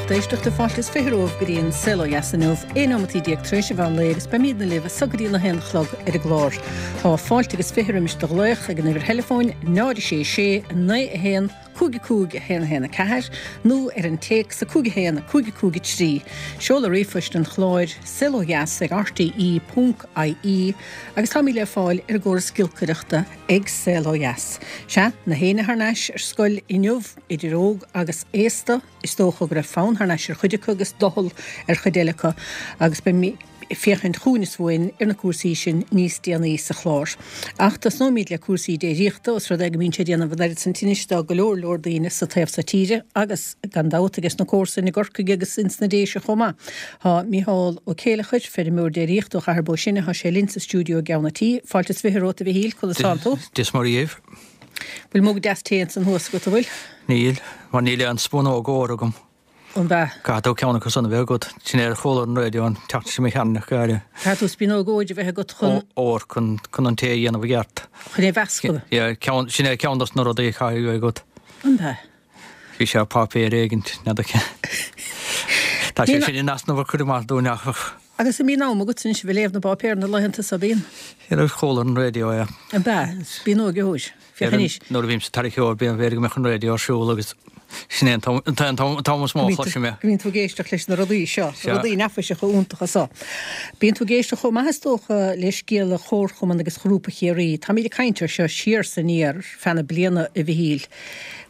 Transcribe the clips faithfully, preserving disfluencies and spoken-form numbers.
Lucht éisteachta fáilte is fiche romhaibh go dtí an Saol Ó Dheas inniu, aon nóimeataí déag tar éis an mheán lae agus beimidne libh so go dtí a haon a chlog ar an gclár. Tá fáilte agus fiche roimis do ghlaoch ag an uimhir theileafóin náid a sé sé naoi a haon cúig a cúig a haon a haon a ceathair nó ar an téacs a cúig a haon a cúig a cúig a trí. Seoladh ríomhphoist an chláir saol ó dheas ag R T E ponc I E agus táimid le fáil ar an gcóras giolcaireachta ag Saol Ó Dheas. Sea, na héinne thar n-ais ar scoil inniu, idir óg agus aosta, is dócha go raibh fonn thar n-ais ar chuid acu agus doicheall ar chuid eile acu, agus beimid ag féachaint chugainn is uainn ar na cúrsaí sin níos déanaí sa chlár. Ach tosnóimid le cúrsaí déiríochta, os rud é go mbíonn sé ag déanamh an oiread san tinnis do go leor leor daoine sa taobh seo tíre agus gan dabht ages na comharsain i gCorcaigh agus ins na Déise chomh maith. Tá Mícheál Ó Céileachair, feirmeoir déiríochta ó Chathair Bó Sine, tá sé linn sa stiúideo i gceann an tí. Fáilte is fiche romhat, a Mhichíl, conas tánn tú? Dia is Muire dhaoibh. Bhfuil mug deas tae ansan thuas agat, an bhfuil? Níl, mar níl aon spúnóg óir agam. An bea? Caithfidh tú ceann acu san a bheith agat. Sin é ar chuala an raidió an tseachtain seo imigh tharainn ach go háirithe. Caithfidh tú spúnóg óir a bheith agat chun. Ór chun chun an tae a dhéanamh i gceart. Chun é a mheascadh. Yeah, ceann, sin é ceann dos na rudaí a chaithfidh a bheith agat. An bea? Bhí sé páipéar éigint, n'fheadar cé. Tá sé sin in easnamh a chur amach dúinn ach. Agus an mbíonn am agat anois a bheith ag léamh na bpáipéar na laethanta so, bíonn? Ar chuala an raidió é. An bea? Spúnóg óir. Féach anois. Nuair a bhím sa tarraiceoir bíonn b'fhéidir go mbeadh an raidió ar siúl agus sin é an t-am is mó a chloisim é. Bíonn tú ag éisteacht leis na rudaí seo, rudaí neafaiseacha iontacha seo. Bíonn tú ag éisteacht chomh maith is dócha le scéala Chomharchumann agus Ghrúpa Chiarraí. Táimid ag caint air seo siar is aniar feadh na bliana, a Mhichíl.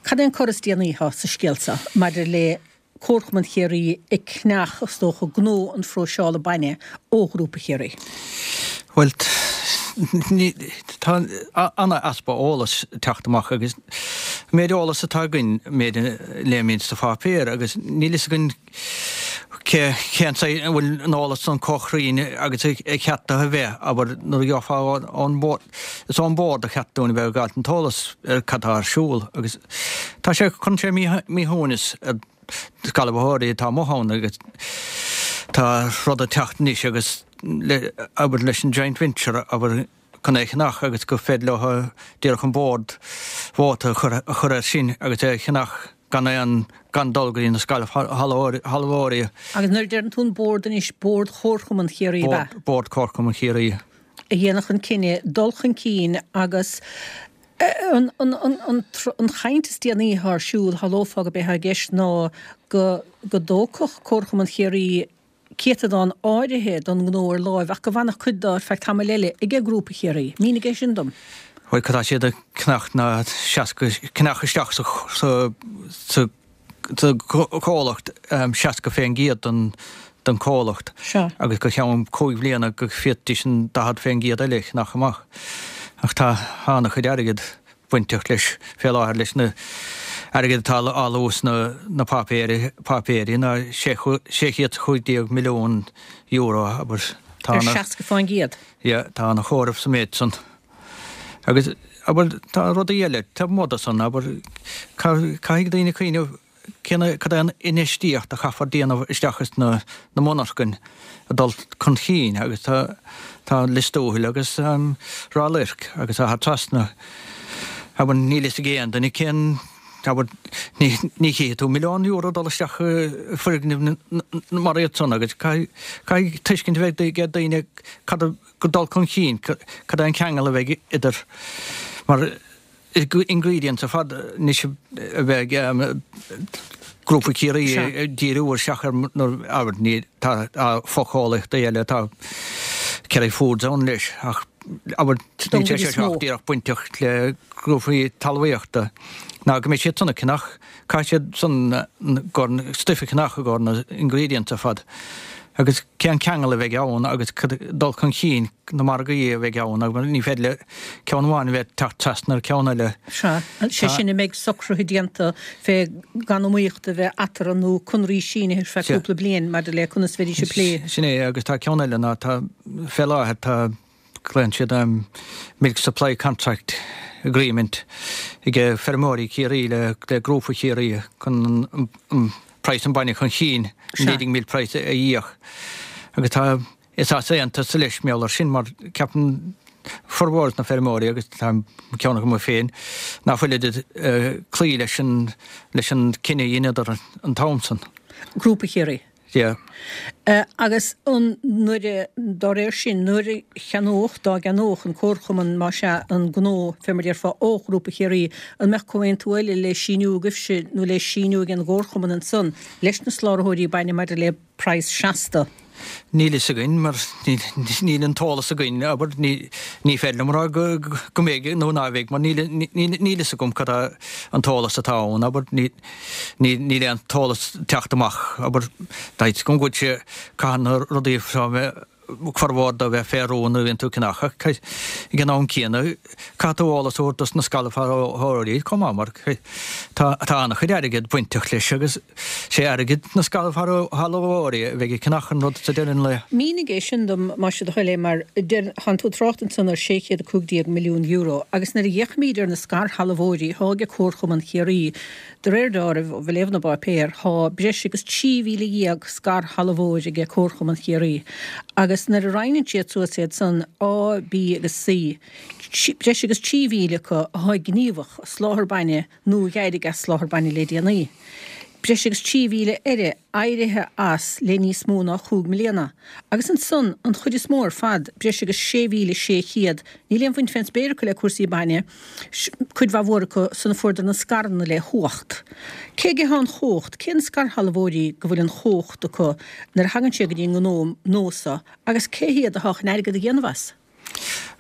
Cad é an cor is déanaí atá sa scéal seo maidir le Comharchumann Chiarraí ag ceannach, is dócha, gnó an phróiseála bainne ó Ghrúpa Chiarraí? Bhuel, tá an-easpa eolais ag teacht amach agus an méid eolas atá againn, méid a léimid sa pháipéar agus níl fhios againn cé cén saghas an bhfuil an eolas san chomh cruinn agus a cheart dó a bheith, abair nuair a gheofá ón bord, is ón bord a cheart dúinn a bheith ag fáilt an t-eolas ar cad tá ar siúl agus tá sé cuireann sé míshuaimhneas ar scalabhóirí atá amuigh ann agus tá rud ag teacht anois agus le abair leis an joint venture abair chun é a cheannach agus gur féidir leo díreach an bord vóta a chur a chur air sin agus é a cheannach gan aon gan dul go dtí na scairshealbhóirí. Agus nuair a deireann tú an bord anois, Bord Chomharchumann Chiarraí, ab ea? Bord Chomharchumann Chiarraí. A dhéanfadh an cinneadh dul chun cinn agus an an an an an chaint is déanaí atá ar siúl, shamhlófá gurb é atá i gceist ná go go dtógfadh Comharchumann Chiarraí céatadán áirithe don ngnó ar láimh ach go bhfanfadh cuid dó ar feadh tamaill eile ag Grúpa Chiarraí. Mínigh é sin dom. Bhuel, cad tá siad ag ceannach ná seasca ceannach isteach sa sa sa sa chomhlacht seasca faoin gcéad den den chomhlacht Sea. Agus go ceann cúig bhliana go bhféadfaidís an daichead faoin gcéad eile a cheannach amach. Ach tá an-chuid airgead bainteach leis fé láthair leis na airgead atá á lua sna na páipéirí páipéirí ná sé sé chéad chúig déag milliún euro abair. Tá Ar ana seasca faoin gcéad? Yeah, tá ana chomhaireamh sa méid san. Agus abair tá rudaí eile taobh amuigh de san, abair caithfidh daoine cuimhneamh cén cad é an infheistíocht a chaithfear déanamh isteach is na na monarchain a dul chun cinn agus tá tá Lios Tuathail agus um, Ráth Luirc agus Achadh Trasna. Abair níl fhios ag aon duine cén abair ní ní chífidh tú milliún euro dul isteach i foirgneamh mar iad san agus caithfidh tuiscint a bheith ag daoine cad a go dul chun cinn cad é an ceangal a bheidh idir mar ingredients ar fad anois a bheidh Grúpa Chiarraí ag díriú isteach ar abair ní tá fochomhlachtaí eile, tá Kerry Foods ann leis ach abair níl sé seo díreach bainteach le grúpaí talmhaíochta ná go mbeidh siad san ag ceannach, caithfidh siad san gur stuif a cheannach i gcomhair na ingredients ar fad. Agus cén ceangal a bheidh ann agus dul chun cinn na margaí a bheidh ann agus ní féidir le ceann amháin a bheith teacht trasna ar ceann eile. Sea, sé sin a mbeidh socruithe déanta fé gan iomaíocht a bheith eatarthu nó conraí sínithe ar feadh cúpla bliain maidir le conas a bheidís ag plé. Sin é agus tá ceann eile ná tá fé láthair tá glaonn siad um, Milk Supply Contract Agreement ag feirmeoirí Chiarraí le le Grúpa Chiarraí chun an, an praghas an bainne chun cinn, an leading milk price a íoc. Agus tá is easaontas leis meall ar sin mar ceapann formhór na feirmeoirí agus tá ceann acu féin ná fuilid ag cloí leis an leis an cinneadh a dheineadar an t-am san. Grúpa Chiarraí. Yeah. Uh, agus an nuair a dá réir sin nuair a cheannódh dá gceannódh an Comharchumann más ea an gnó fé mar a déarfá ó Ghrúpa Chiarraí an mbeadh comhaontú eile le síniú agaibhse nó le síniú ag an gComharchumann ansan leis na soláthróirí bainne maidir le praghas seasta? Níl fhios againn mar níl an t-eolas againn, abair, ní féidir liom a rá go mbeidh nó ná bheidh mar níl fhios agam cad é an t-eolas atá ann, abair, níl aon t-eolas teacht amach, abair, tá fhios agam go bhfuil sé, caithfidh na rudaí seo a bheith, formhór dó a bheith fé rún nuair a bhíonn tú ag ceannach ach ag an am céanna caithfidh tú eolas a thabhairt dos na scairshealbhóirí chomh maith mar tá an-chuid airgid bainteach leis agus sé airgead na scairshealbhóirí a bheidh ag ceannach an rud sa deireadh an lae. Mínigh é sin dom más é do thoil é mar tánn tú ag trácht ansan ar sé chéad a cúig déag milliún euro agus nuair a fhéachaimíd ar na scairshealbhóirí thá ag Comharchumann Chiarraí De réir dealraimh, ó léamh na bpáipéar, thá breis agus trí mhíle dhéag scairshealbhóir aige Comharchumann Chiarraí agus nuair a roinneann siad suas iad san, A, B agus C, breis agus trí mhíle acu athá gníomhach ag soláthar bainne nó a dh'éirigh as soláthar bainne le déanaí. Breis agus trí mhíle eile éirithe as le níos mó ná chúig mbliana. Agus ansan, an chuid is mó ar fad, breis agus sé mhíle sé chéad, níl aon bhaint fén spéir acu le cúrsaí bainne, cuid mhaith mhór acu san a fuaireadar na scaireanna le huacht. Cé aige thá an chumhacht? Cé na scairshealbhóirí go bhfuil an chumhacht acu nuair a thagann sé go dtí an ngnó nua so agus cé hiad athá chun airgead a dhéanamh as?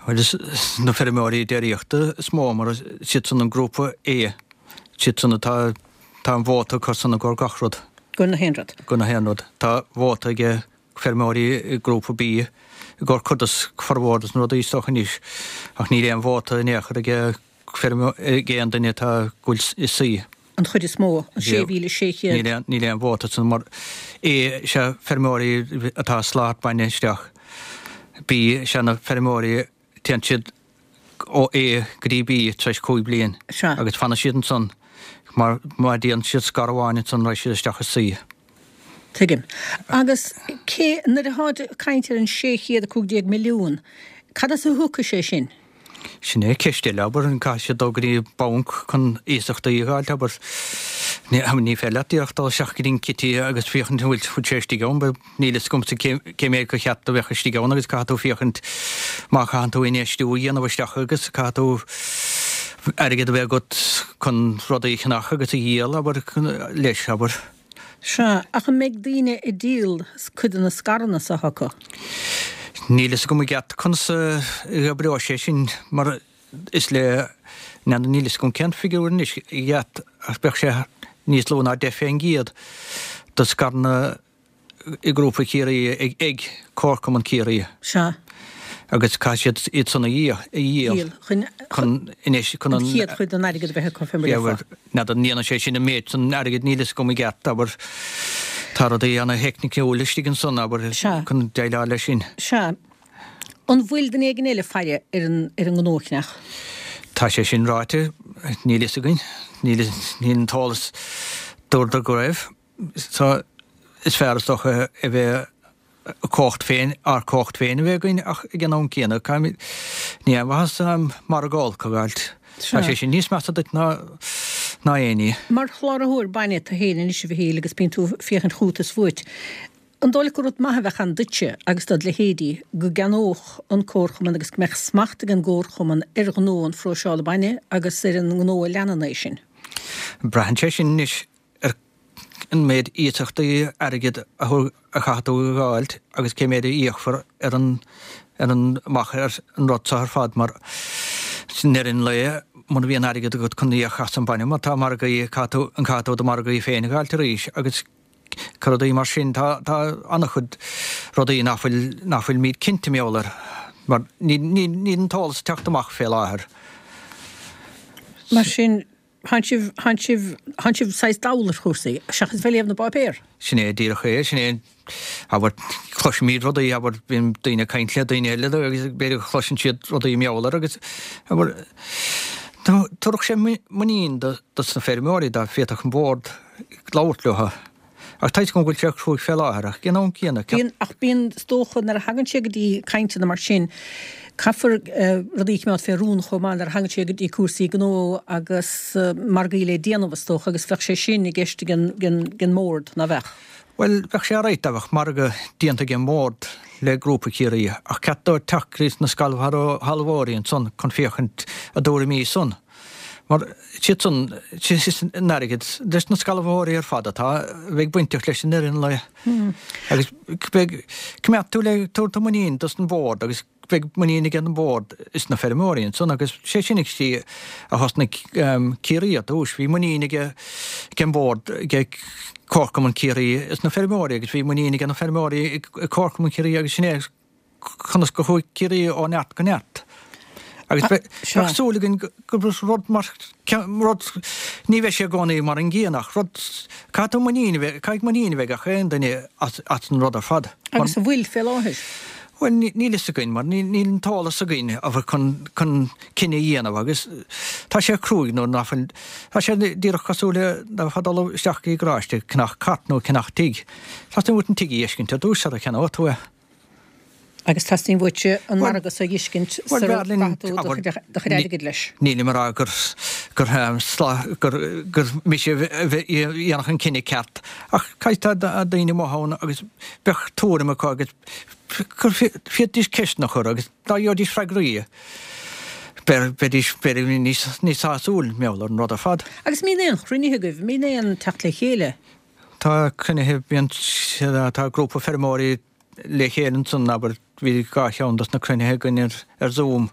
Bhuel, is na feirmeoirí déiríochta is mó mar is iadsan an grúpa A, is iadsan atá Tá an vóta acu san i gcomhair gach rud. Go na haon rud. Go na haon rud. Tá vóta ag feirmeoirí i ngrúpa B i gcomhair cuid des formhór des na rudaí is dócha anois ach níl aon vóta in aon chor ag ag aon duine atá ag goil i C. An chuid is mó, an sé mhíle sé chéad. Níl aon níl aon vóta san mar A is ea feirmeoirí atá ag soláthar bainne isteach. B is ea na feirmeoirí téann siad ó A go dtí B tar éis cúig bliain agus fanann siad ansan mar má dhéanann siad scair amháin ansan raghaidh siad isteach i C. Tuigim. Agus cé, nuair atáid ag caint ar an sé chéad a cúig déag milliún, cad as a thiocfaidh sé sin? Sin é ceist eile, abair, an caithfidh siad dul go dtí banc chun iasachtaí a dh'fháilt, abair. Ní, ní féidir leat díreach dul isteach go dtí an city agus féachaint an bhfuil bhfuil sé istigh ann, níl fhios agamsa cé, cé méid go cheart a bheadh istigh ann agus caithfidh tú féachaint má chaitheann tú infheistiú a dhéanamh isteach agus caithfidh tú airgead a bheith agat chun rudaí a cheannach agus a dhíol, abair, leis, abair. Sea, ach an mbeidh daoine ag díol cuid de na scaireanna so acu? Níl fhios agam i gceart conas a oibreoidh sé sin mar is le, n'fheadar, níl fhios agam cén figiúr anois i gceart ach bheadh sé níos lú ná deich fén gcéad de scaireanna i nGrúpa Chiarraí ag ag Comharchumann Chiarraí. Sea. Agus caithfidh siad iad san a dhíol chun chun anois chun an chéad chuid den airgead a bheith acu fé mar a déarfá. N'fheadar an ndéanann sé sin an méid san airgid níl fhios agam i gceart abair tá rudaí ana-theicniciúil istigh ansan abair chun déileáil leis sin. Sea. An bhfuil duine éigin eile ag faire ar an ar an ngnó a cheannach? Tá sé sin ráite, níl fhios againn, níl níl an t-eolas dúradar go raibh. So is fearr is dócha a bheith cumhacht féin, ár cumhacht féin a bheith againn ach ag an am céanna caithfimid, ní aon mhaitheas margadh olc a dh'fháilt. Tá sé sin níos measa duit ná ná aon ní. Mar chláraitheoir bainne tú féin anois a Mhichíl agus bíonn tú ag féachaint chugat is fút, an dóigh leat gur rud maith a bheadh ann duitse agus dod leithéidí go gceannódh an Comharchumann agus go mbeadh smacht ag an gComharchumann ar ghnó an phróiseála bainne agus ar an ngnó a leanann é sin? Braitheann sé sin anois ar an méid iasachtaí airgid a chaithfidh tú a dh'fháilt agus cé méid a íocfar ar an ar an amach ar an rud seo ar fad mar i ndeireadh an lae muna bhíonn airgead agat chun íoc as an bainne mar tá margaí caithfidh tú an caithfidh tú do mhargaí féin a dh'fháilt arís agus rudaí mar sin tá tá an-chuid rudaí nach bhfuil nach bhfuilimid cinnte mar gheall air mar níl níl níl an t-eolas ag teacht amach fé láthair. Mar sin Thánn sibh, thánn sibh, thánn sibh saghas dall ar chúrsaí, seachas bheith ag léamh na bpáipéar. Sin é díreach é, sin é, abair, cloisimid rudaí, abair, bíonn daoine ag caint le daoine eile agus b'fhéidir go gcloiseann siad rudaí mar gheall air agus, abair, thabharfadh sé muinín do, dos na feirmeoirí dá bhféadfadh an Bord labhairt leo. Ach tá 'fhios agam go bhfuil sé cruaidh fé láthair, ach ag an am céanna, Bíonn, ach bíonn, is dócha, nuair a thagann sé go dtí cainteanna mar sin, Caithfear rudaí a choimeád fé rún chomh maith nuair a thagann sé go dtí cúrsaí gnó agus margaí le déanamh is dócha agus bheadh sé sin i gceist ag an mBord, ná bheadh? Bhuel, bheadh sé alright dá mbeadh margadh déanta ag an mBord le Grúpa Chiarraí ach ceart dó teacht go dtí na scairshealbhóirí ansan chun féachaint a dtuairimí san. Mar siad san, an airgead leis na scairshealbhóirí ar fad atá, bheidh bainteach leis an ndeireadh an lae. Agus beidh, coimeád tú le tabhairt tú muinín dos an bord agus beidh muinín ag an bord is na feirmeoirí ansan agus sé sin an tslí a thosnaigh Ciarraí ar dtús. Bhí muinín ag an bord, ag Comharchumann Chiarraí is na feirmeoirí agus bhí muinín ag na feirmeoirí ag Comharchumann Chiarraí agus sin é conas go chuaigh Ciarraí ó neart go neart. Agus bheadh súil againn go rud mar rud, ní bheidh sé i gcónaí mar an gcéanna ach rud, caithfidh tú muinín a bheith, caithfidh muinín a bheith ag gach aon duine as an rud ar fad. Agus an bhfuil fé láthair? Bhuel, níl fhios againn mar níl an t-eolas againn chun chun cinneadh a dhéanamh agus tá sé cruaidh nuair nach bhfuil, tá sé díreach cosúil le dá mbeifeá ag dul isteach i garáiste ag ceannach cairt nó ag ceannach tigh. Teastaíonn uait an tigh a fheiscint ar dtús sara cheannóidh tú é. Agus teastaíonn uaitse an margadh so a fheiscint sara gcaithfidh tú do chuid airgid leis. Nílim ag rá gur gur gur mise a dhéanfadh an cinneadh ceart ach caithfidh tá daoine amuigh ann agus bheadh tuairim acu agus gur féadfaidís ceisteanna a chur agus dá gheobhaidís freagraí bheidís b'fhéidir níos níos sásúil mar gheall ar an rud ar fad. Agus an mbíonn aon chruinnithe agaibh, an mbíonn aon teacht le chéile? Tá cruinnithe, bíonn, tá grúpa feirmeoirí le chéile ansan, abair, bhí dhá cheann dos na cruinnithe againn ar, ar Zoom.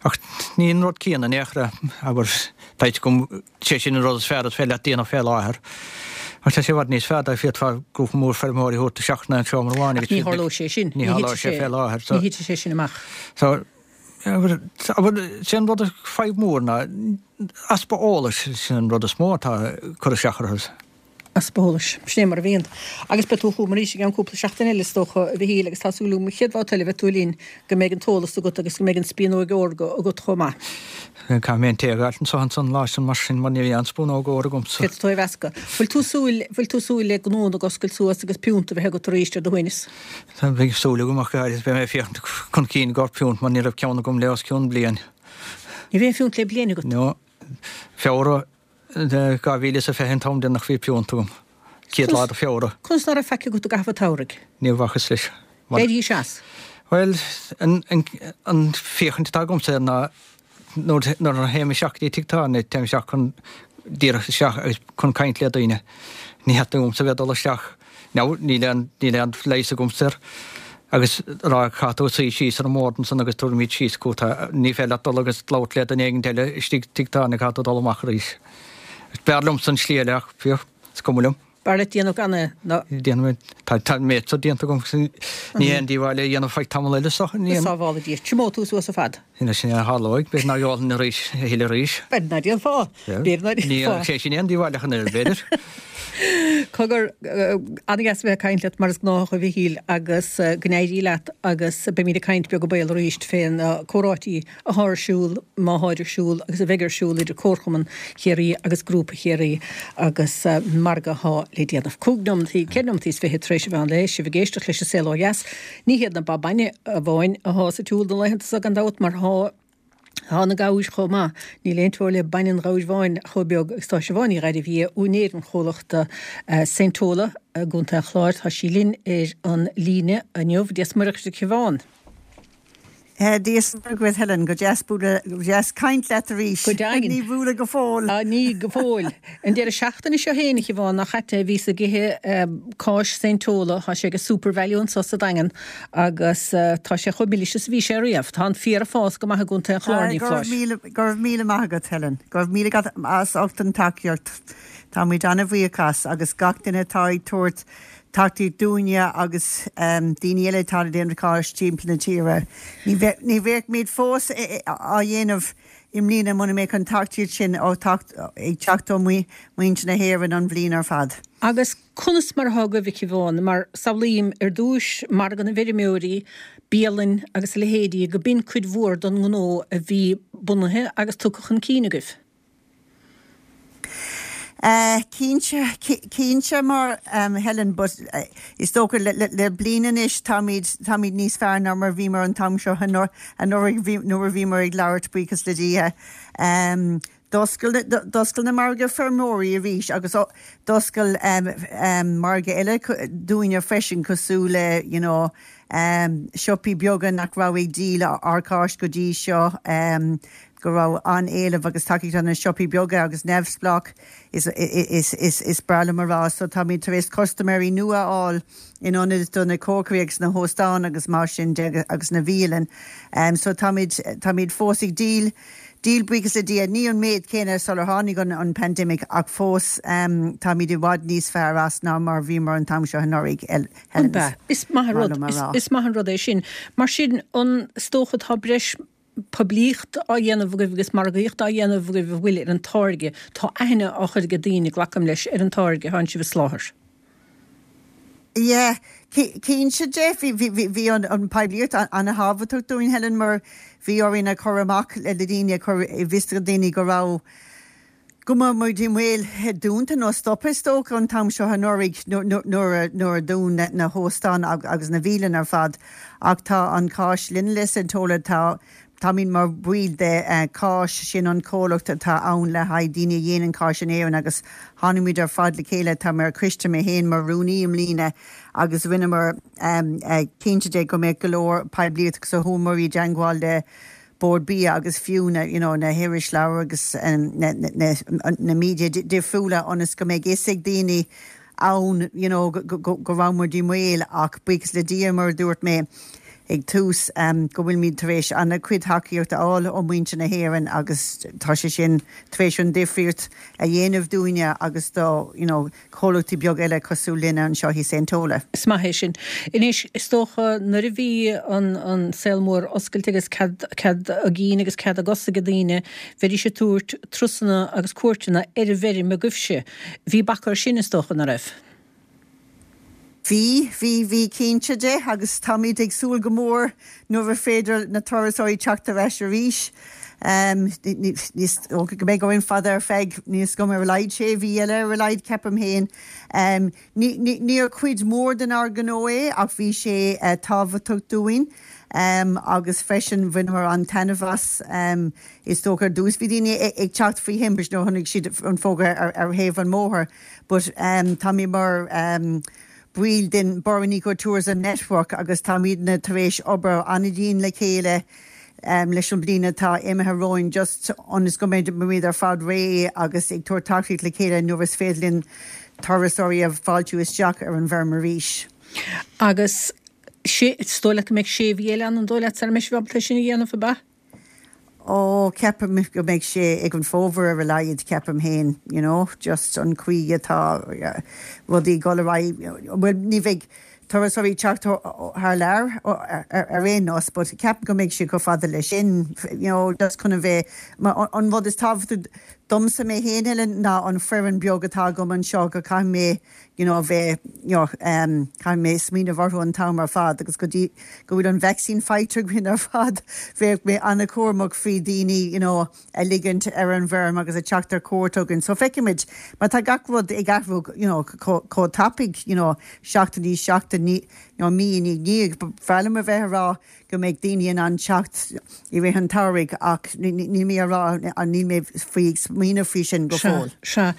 Ach ní an rud céanna in aon chor é, abair, tá fhios agam, sé sin an rud is fearr is féidir leat déanamh fé láthair. Ach tá sé i bhfad níos fearr dá bhféadfá grúpa mór feirmeoirí a thabhairt isteach in aon seomra amháin agus Ach ní tharlóidh sé sin. Ní tharlóidh sé fé láthair. Ní thitfidh sé sin amach. So, abair, abair, sé an rud is fadhb mór ná easpa eolais, sin an rud is mó atá ag cur isteach orthu. Easpa eolais. Sin é mar a bhíonn. Agus beidh tú chugam arís i gceann cúpla seachtain eile, is dócha, a Mhichíl, agus tá súil agam an chéad bhabhta eile a bheidh tú linn go mbeidh an t-eolas agat agus go mbeidh an spíonóg órga agat chomh maith. Caithfidh mé an tae a fháilt anso ansan lá sin mar sin mar níl aon spúnóg óir agamsa. Féadfaidh tú é a mheascadh. Bhfuil tú súil, bhfuil tú súil le gnónna ag oscailt suas agus piúnt a bheith agat arís ar do shuaimhneas? Tá, beidh súil agam ach go háirithe beidh mé ag féachaint chun cinn i gcomhair piúnt mar ní raibh ceann agam le os cionn bliain. Ní raibh aon phiúnt le bliain agat? No. Feabhra. dhá mhíle is a fiche an t-am deireanach bhí piúnt agam. Céad lá de Feabhra. Conas ná raibh faic agat i gcaitheamh an tsamhraidh? Ní bhacas leis. D'éirís as? Bhuel, an, an, an féachaint atá agamsa air ná nuair, nuair a théim isteach go dtí tigh tábhairne, téim isteach chun díreach isteach agus chun caint le daoine. Ní theastaíonn uaimse a bheith ag dul isteach. Now, níl aon, níl aon leigheas agamsa air. Agus rá, caithfidh tú suí síos ar an mbord ansan agus tabharfaimid síos chugat. Ní féidir leat dul agus labhairt le duine éigin eile istigh tigh tábhairne, caithfidh tú dul amach arís. B'fhearr liomsa an slí eile ach, fiú, is cuma liom. B'fhearr leat déanamh gan é ná. Déanfaidh mé, tá, tá an méid so déanta agam, ní haon díobháil é a dhéanamh feadh tamall eile so, ní. Go sábhála Dia. Triomóidh tú suas ar fad. Sin é a tharlóidh, b'fhéidir nach ólfainn arís, a thuilleadh arís. B'fhéidir ná déanfá. B'fhéidir ná déanfá. Ní sé sin aon díobháil ach an oiread, b'fhéidir. Cogar, an-dheas a bheith ag caint leat mar is gnách a Mhichíl agus go n-éirí leat agus beimid ag caint beag an baol arís fé na comhráití athá ar siúl, má tháid ar siúl agus a bheidh ar siúl idir Comharchumann Chiarraí agus Grúpa Chiarraí agus margadh athá le déanamh. Cúig nóimeataí, ceithre nóimeataí is fiche tar éis an mheán lae, sibh ag éisteacht leis an Saol Ó Dheas. Ní hiad na ba bainne amháin athá sa tsiúl na laethanta so gan dabht mar thá Tá na gabhair chomh maith. Níl aon teora le bainne an ghabhair bháin chomh beag agus tá Siobhán Ní Ghairbhia, úinéir an chomhlachta Saint Tola i gContae an Chláir. Tá sí linn ar an líne inniu. Dia 's Muire dhuit a Shiobhán. Dia 's Muire dhuit Helen, go deas bualadh, go deas caint leat arís. Go deimhin. Ní bualadh go fóill. Á, ní go fóill. An deireadh seachtaine seo féin, a Shiobhán, ná caite, bhíos ag ithe cáis Saint Tola, tá sé ag Supervalu anso sa Daingean, Agus tá sé chomh milis is a bhí sé riamh. Tá an féar ag fás go maith i gContae an Chláir, ní Go raibh foláir. míle, go raibh míle maith agat, Helen. Go raibh míle agat as ucht an tacaíocht. Tá muid an-bhuíoch as agus gach duine atá ag tabhairt tacaíocht dúinne agus daoine eile atá ag déanamh cáis timpeall na tíre. Ní bheadh, ní bheadh muid fós á dhéanamh i mbliana muna mbeadh an tacaíocht sin ó teacht, ag teacht ó mhuintir na hÉireann an bhliain ar fad. Agus conas mar atá agaibh, a Shiobhán? Mar samhlaím ar dtúis margadh na bhfeirmeoirí, bialainn agus a leithéidí, go b'in cuid mhór don ngnó a bhí bunaithe agus tugtha chun cinn agaibh. Cinnte, cinnte mar um, Helen, but uh, is dócha le, le, le bliain anois táimid táimid níos fearr ná mar bhíomar an t-am seo anuraidh nuair a bhíomar ag labhairt buíochas le Dia. Um, D'oscail na margaí feirmeoirí arís agus d'oscail um, um, margaí eile dúinne freisin cosúil le you know, um, siopaí beaga nach raibh ag díol ár gcáis go dtí seo um, go raibh an-éileamh agus tacaíocht na siopaí beaga agus neamhspleách is, is, is, is breá liom a rá, so táimid tar éis custaiméirí nua a fháil in ionad do na cócairí agus na hóstáin agus mar sin de agus na bialanna. Um, so táimid táimid fós ag díol díol buíochas le Dia ní an méid céanna sular tháinig an, an pandemic ach fós um, táimid i bhfad níos fearr as ná mar bhíomar an t-am seo anuraidh. Is maith rud is maith an rud é sin. Mar sin an is dócha tá breis poiblíocht á dhéanamh agaibh agus margaíocht á dhéanamh agaibh a bhfuil ar an táirge, tá aithne á chur ag daoine glacaim leis ar an táirge atá sibh a sholáthar. Yeah, cinnte de bhí an an poiblíocht an-thábhachtach dúinn Helen mar bhí orainn a chur amach le daoine chur i bhfios do daoine go raibh go mbeadh muid i mbaol dúnta nó stop is dócha an t-am seo anuraidh nuair a dún na hóstáin agus na bialanna ar fad ach tá an cáis linn le Saint Tola tá Táimid mar bhaill de uh, cáis sin an comhlacht atá ann le haghaidh daoine a dhéanann cáis in Éirinn agus tháinig muid ar fad le chéile tá mar coiste mé féin mar rúnaí i mbliana agus rinneamar um, uh, cinnte de go mbeadh go leor poiblíocht agus a chuamar i dteagmháil le Bord Bia agus fiú na you know, na hirisleabhair agus um, na, na, na, na media difriúla ionas go mbeidh fhios ag daoine ann you know, go, go, go raibh muid i mbaol ach buíochas le Dia mar dúirt mé ag tús um, go bhfuil tar éis an-chuid tacaíocht a fháil ó mhuintir na hÉireann agus tá sé sin tar éis an difríocht a dhéanamh dúinne agus do you know, comhlachtaí beag eile cosúil linn anseo i Saint Tola. Is maith é sin. Anois is dócha nuair a bhí an, an saol mór oscailte agus cead, cead a gcinn agus cead a gcos ag daoine, bheidís ag tabhairt turasanna agus cuairteanna ar an bhfeirm agaibhse. Bhí bac air sin is dócha nach raibh. Bhí bhí bhí cinnte de agus táimid ag súil go mór nuair a féidir na turasóirí teacht ar ais arís. Um, níos go mbeidh go fada ar feadh níos go ar a laghad sé mhí eile ar a laghad ceapaim féin. Um, Níor chuid mór den ár gnó é ach bhí sé uh, tábhachtach dúinn. Um, agus freisin bhaineamar an-taitneamh as um, is dócha ar dtús bhí daoine ag teacht faoi thimpist nuair a chonaic siad an fógra ar, ar thaobh an bhóthair, but um, tá mé mar um, baill den Burren Ecotourism Network agus táimidne tar éis obair an-dian le chéile um, leis an bliain atá imithe romhainn just ionas go mbeimid ar fad réidh agus ag tabhairt tacaíocht le chéile nuair is féidir linn turasóirí a fháiltiú isteach ar an bhfeirm arís. Agus sé is dóigh leat go mbeidh sé mhí eile an dóigh leat sara mbeidh sibh ábalta sin a dhéanamh ab ea? Ó ceapaim go mbeidh sé ag an bhfómhar ar a laghad ceapaim féin, you know, just an chaoi atá rudaí ag dul ar aghaidh well ní bheidh turasóirí teacht thar lear ar aon nós, but ceapaim go mbeidh sé go fada le sin, you know, just chun a bheith an rud is tábhachtaí domsa mé féin ná an foireann beag atá agam anseo go caithfidh mé you know, bheith you know, um, caithfidh mé smaoineamh orthu an t-am ar fad agus go dtí go bhfuil an vaccine faighte againn ar fad bheadh mé an-chúramach faoi daoine you know, a ligint ar an bhfeirm agus a teacht ar cuairt chugainn. So feicfimid mar tá gach rud ag athrú you know, chomh tapaidh you know, seachtainí seachtainí you know, mí ní ní b'fhearr liom a bheith ag rá go mbeidh daoine in ann teacht i rith an tsamhraidh ach níl mé rá an níl mé faoi smaoineamh faoi sin go fóill. Sea.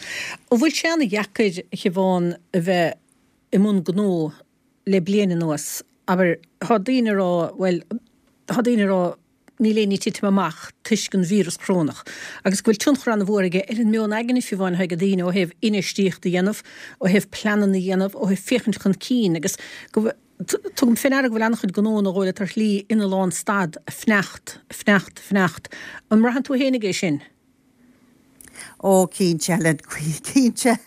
An bhfuil sé an-dheacair a Shiobhán a bheith i mbun gnó le bliain anuas, abair tá daoine ag rá bhuel tá daoine ag rá níl aon ní ag titim amach toisc an víreas corónach, agus go bhfuil tionchar an-mhór aige ar an meon aigne fiú amháin atá ag daoine ó thaobh infheistíocht a dhéanamh, ó thaobh pleananna a dhéanamh, ó thaobh féachaint chun cinn agus go tugaim faoi ndeara go bhfuil an-chuid gnónna a ghabháil ar shlí ina lánstad, ag fanacht, ag fanacht, ag fanacht. An mbraitheann tú féinig é sin? Ó cinnte le cinnte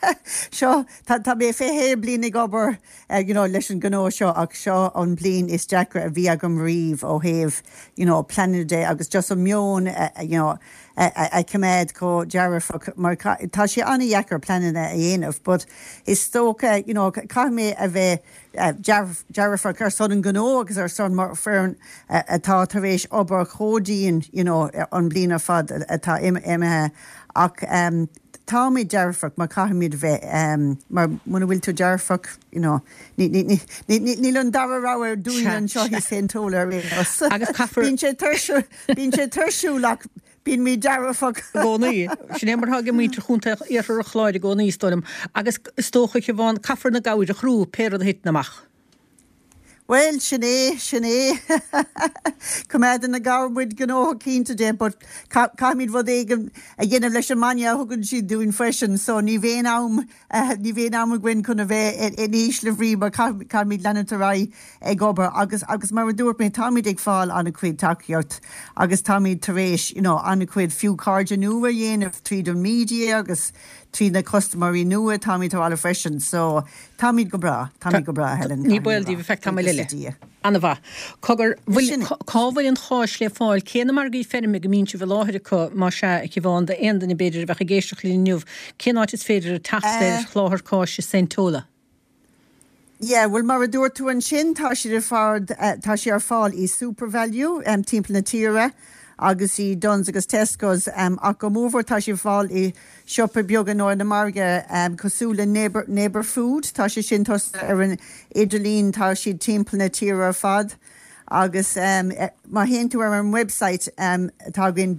seo tá mé fiche bliain ag obair uh, you know, leis an gnó seo ach seo an bliain is deacra a bhí agam riamh ó thaobh you know, pleananna de agus just an meon uh, you know, a, a choimeád chomh dearfach mar tá sé an-deacair pleananna a dhéanamh, but is dócha you know, caithfidh mé a bheith uh, dearfach ar son an gnó agus ar son mar foireann uh, atá tar éis obair chomh dian you know, an bliain ar fad atá imithe ach um, Táimid dearfach mar caithfimid bheith um, mar muna bhfuil tú dearfach you know, níl an dara rogha dúinn anseo i Saint Tola Agus caithfear- Bíonn sé bíonn sé tuirsiúil ach bímid dearfach. I gcónaí. Sin é mar atá ag muintir chontae iarthar an Chláir i gcónaí is dóigh liom. Agus is dócha a Shiobhán caithfear na gabhair a chrú pé rud a thiteann amach. Well sin é sin é Coimeádann na gabhair muid gnóthach cinnte de, but caithfimid rud éigin a dhéanamh leis an mbainne a thugann siad dúinn freisin, so ní bhíonn am ní bhíonn am againn chun a bheith in ísle brí mar caithfimid leanúint ar aghaidh ag obair agus agus mar a dúirt mé táimid ag fáil an-chuid tacaíocht agus táimid tar éis you know, an-chuid fiú cairde nua a dhéanamh tríd an media agus trí na custaiméirí nua táimid ála freisin, so táimid go breá, táimid go breá Helen. Ní baol daoibh feadh tamaill eile. An-mhaith. Cogar cá bhfuil an cháis le fáil cé na margaí feirme go mbíonn sibh i láthair acu má sea a Shiobhán d'aon duine b'fhéidir a bheadh ag éisteacht linn inniu, cén áit is féidir teacht ar sholáthair cáise Saint Tola? Yeah, well mar a dúirt tú ansin tá siad ar fad tá sé ar fáil i SuperValu um, timpeall na tíre agus i Dunnes agus Tesco's um, ach go mórmhór tá sé fáil i siopa beaga nó na margaí um, cosúil le neighbor, neighbor food tá sé sin ar an idirlíon tá siad timpeall na tíre ar fad. agus um, má théann tú ar an website um, tá againn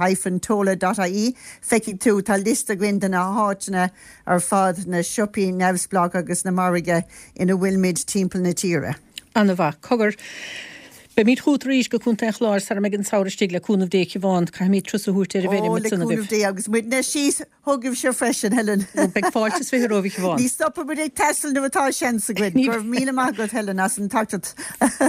www.st-tola.ie feicfidh tú tá liosta againn de na háiteanna ar fad na siopaí neamhspleách agus na margaí ina bhfuilmid timpeall na tíre. An-mhaith cogar. Beimid chugat arís go Contae an Chláir sara mbeidh an samhradh istigh le cúnamh Dé a Shiobhán caithfimid turas a thabhairt ar an bhfeirm le cúnamh Dé agus muidne síos chugaibhse freisin Helen. Beidh fáilte is fiche romhaibh a Shiobhán. Ní stopfaimid ag taisteal nuair atá seans againn, Go raibh míle maith agat Helen as an tacaíocht.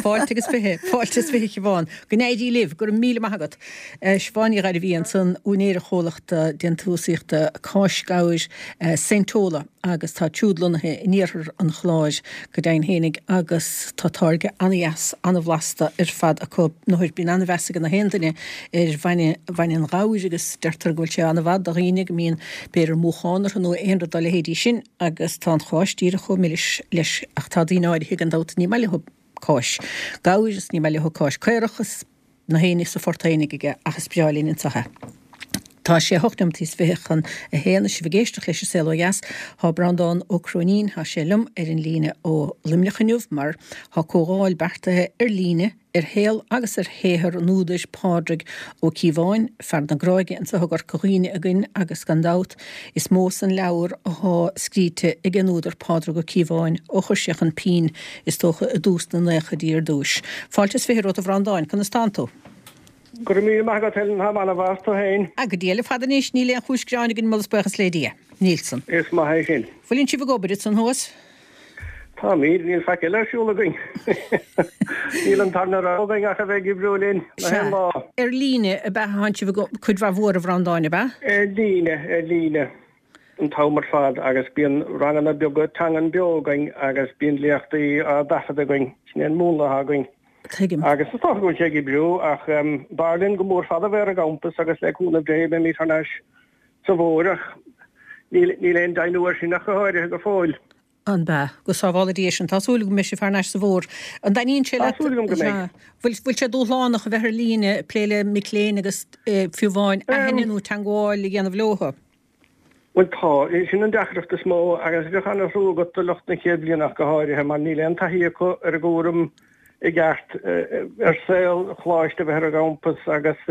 Fáilte agus fiche, fáilte is fiche a Shiobhán. Go n-éirí libh, go raibh míle maith agat. Siobhán Ní Ghairbhí ansan úinéir an chomhlachta déantúsaíochta cáis gabhair Saint Tola agus tá siúd lonnaithe in iarthar an Chláir go deimhin fhéinig agus tá táirge an-dheas an-bhlasta ar fad acu. Nuair bíonn an-mheas ag gach aon duine ar bhainne bhainne an ghabhair agus deirtear go bhfuil sé an-mhaith do dhaoine go mbíonn b'fhéidir múchán orthu nó aon rud dá leithéidí sin agus tá an cháis díreach chomh milis leis ach tá daoine áirithe gan dabht ní maith leo cáis gabhair is ní maith leo cáis caorach is na héinne sa phort fhéinig aige ach is breá linn anseo é. Tá sé hocht nóimeataí is fiche chun a haon sibh ag éisteacht leis an Saol Ó Dheas. Tá Breandán Ó Cróinín tá sé liom ar an líne ó Luimneach inniu mar tá comhdháil beartaithe ar líne ar shaol agus ar shaothar an údair Pádraig Ó Cíobháin, fear na Gráige anseo i gCorca Dhuibhne againn agus gan dabht is mó san leabhar atá scríte ag an údar Pádraig Ó Cíobháin ó chuir sé chun pinn is dócha i dtús na nóchaidí ar dtús. Fáilte is fiche romhat a Bhreandáin, conas tánn tú? Go raibh míle maith agat Helen táim an-mhaith tú féin. A go diail fada anois níl aon chúis gearáin againn moladh is buíochas le Dia. Níl san. Is maith é sin. Bhfuileann sibh ag obair ansan thuas? Táimid níl faic eile ar siúl againn. Níl an tarna rogha againn ach a bheith ag oibriú linn na haon lá. Ar líne ab ea tánn sibh cuid mhaith mhór a Bhreandáin ab ea? Ar líne, ar líne an t-am ar fad agus bíonn ranganna beaga teangan beo againn agus bíonn léachtaí á dtaifead againn sin é an múnla atá againn. Tuigim. Agus is dócha go bhfuil sé ag oibriú ach b'fhearr linn go mór fada bheith ar an gcampas agus le cúnamh Dé beimid thar n-ais sa bhfómhar ach níl níl aon deimhniú air sin ach go háirithe go fóill. An bea? Go sábhála Dia sinn. Tá súil agam go mbeidh sibh thar n-ais sa bhfómhar. An dtaitníonn sé Tá leat? súil agam go mbeidh. Bhfuil bhfuil sé dúshlánach a bheith ar líne ag plé le mic léinn agus fiú amháin aithne nó teagmháil a dhéanamh leo? Bhuel tá, sin an deacracht is mó agus bheadh an-thrua agat do lucht na chéad bhliana ach go háirithe mar níl aon taithí acu ar an gcúram i gceart ar saol choláiste a bheith ar an gcampas agus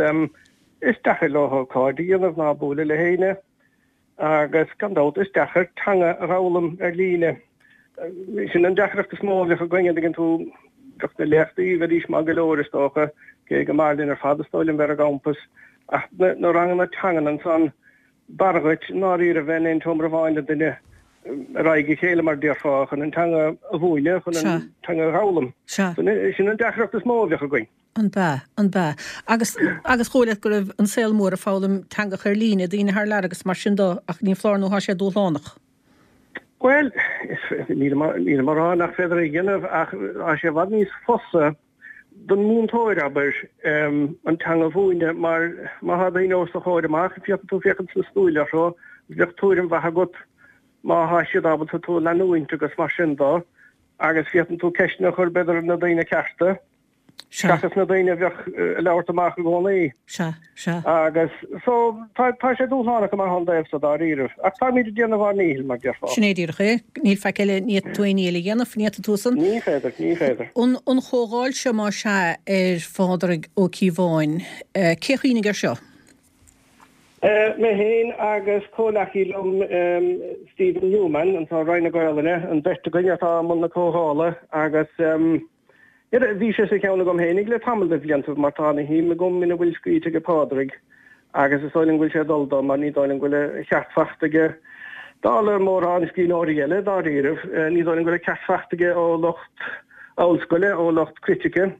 is deacair leo cairde a dhéanamh ná bualadh le héinne agus gan dabht is deacair teanga a fhoghlaim ar líne. Sin an deacracht is mó a bheadh againn, an dtuigeann tú, bheadh na léachtaí, bheidís maith go leor is dócha, cé go mb'fhearr linn ar fad is dóigh liom bheith ar an gcampas ach na ranganna teangan ansan, B'fhearr dhuit i ndáiríre bheith in aon tseomra amháin le duine ar aghaidh a chéile, mar déarfá, chun an teanga a mhúineadh, chun an teanga a fhoghlaim. Sin an deacracht is mó a bheadh againn. An bea? An bea? Agus, agus dhóigh leat go raibh an saol mór ag foghlaim teangacha ar líne, daoine thar lear agus mar sin de, ach ní foláir nó tá sé dúshlánach. Bhuel, nílim á rá nach féidir é a dhéanamh ach tá sé i bhfad níos fusa don mhúinteoir, abair, an teanga a mhúineadh mar má thá daoine os do chomhair amach, féadfaidh tú féachaint sna súile orthu, bheadh tuairim mhaith agat má thá siad ábalta tú a leanúint agus mar sin dó agus féadann tú ceisteanna a chur b'fhéidir ar na daoine cearta. Seachas na daoine a bheadh ag labhairt amach i gcónaí. Sea, sea. Agus so tá tá sé dúshlánach go maith ón dtaobh so dáiríribh. Ach táimid ag déanamh ár ndíchill, mar déarfá. Sin é díreach é. Níl faic eile, ní fhéadfaidh tú aon ní eile a dhéanamh, ní fhéadfaidh tú san. Ní féidir, ní féidir. An an chomhdháil seo más ea ar Phádraig Ó Cíobháin, cé a chuimhnigh air seo? Mé féin agus comhleacaí liom Stephen Newman, anseo i Roinn na Gaolainne, an bheirt againn atá i mbun na comhdhála agus bhí sé sa cheann agam féinig le tamall de bhlianta mar tá ana shuim agam ina bhfuil scríte ag Pádraig agus is dóigh liom go bhfuil sé ag dul dó mar ní dóigh liom go bhfuil a cheart fachta aige dála mórán scríbhneoirí eile dáiríribh, ní dóigh liom go bhfuil a ceart fachta aige ó lucht ollscoile, ó lucht critice.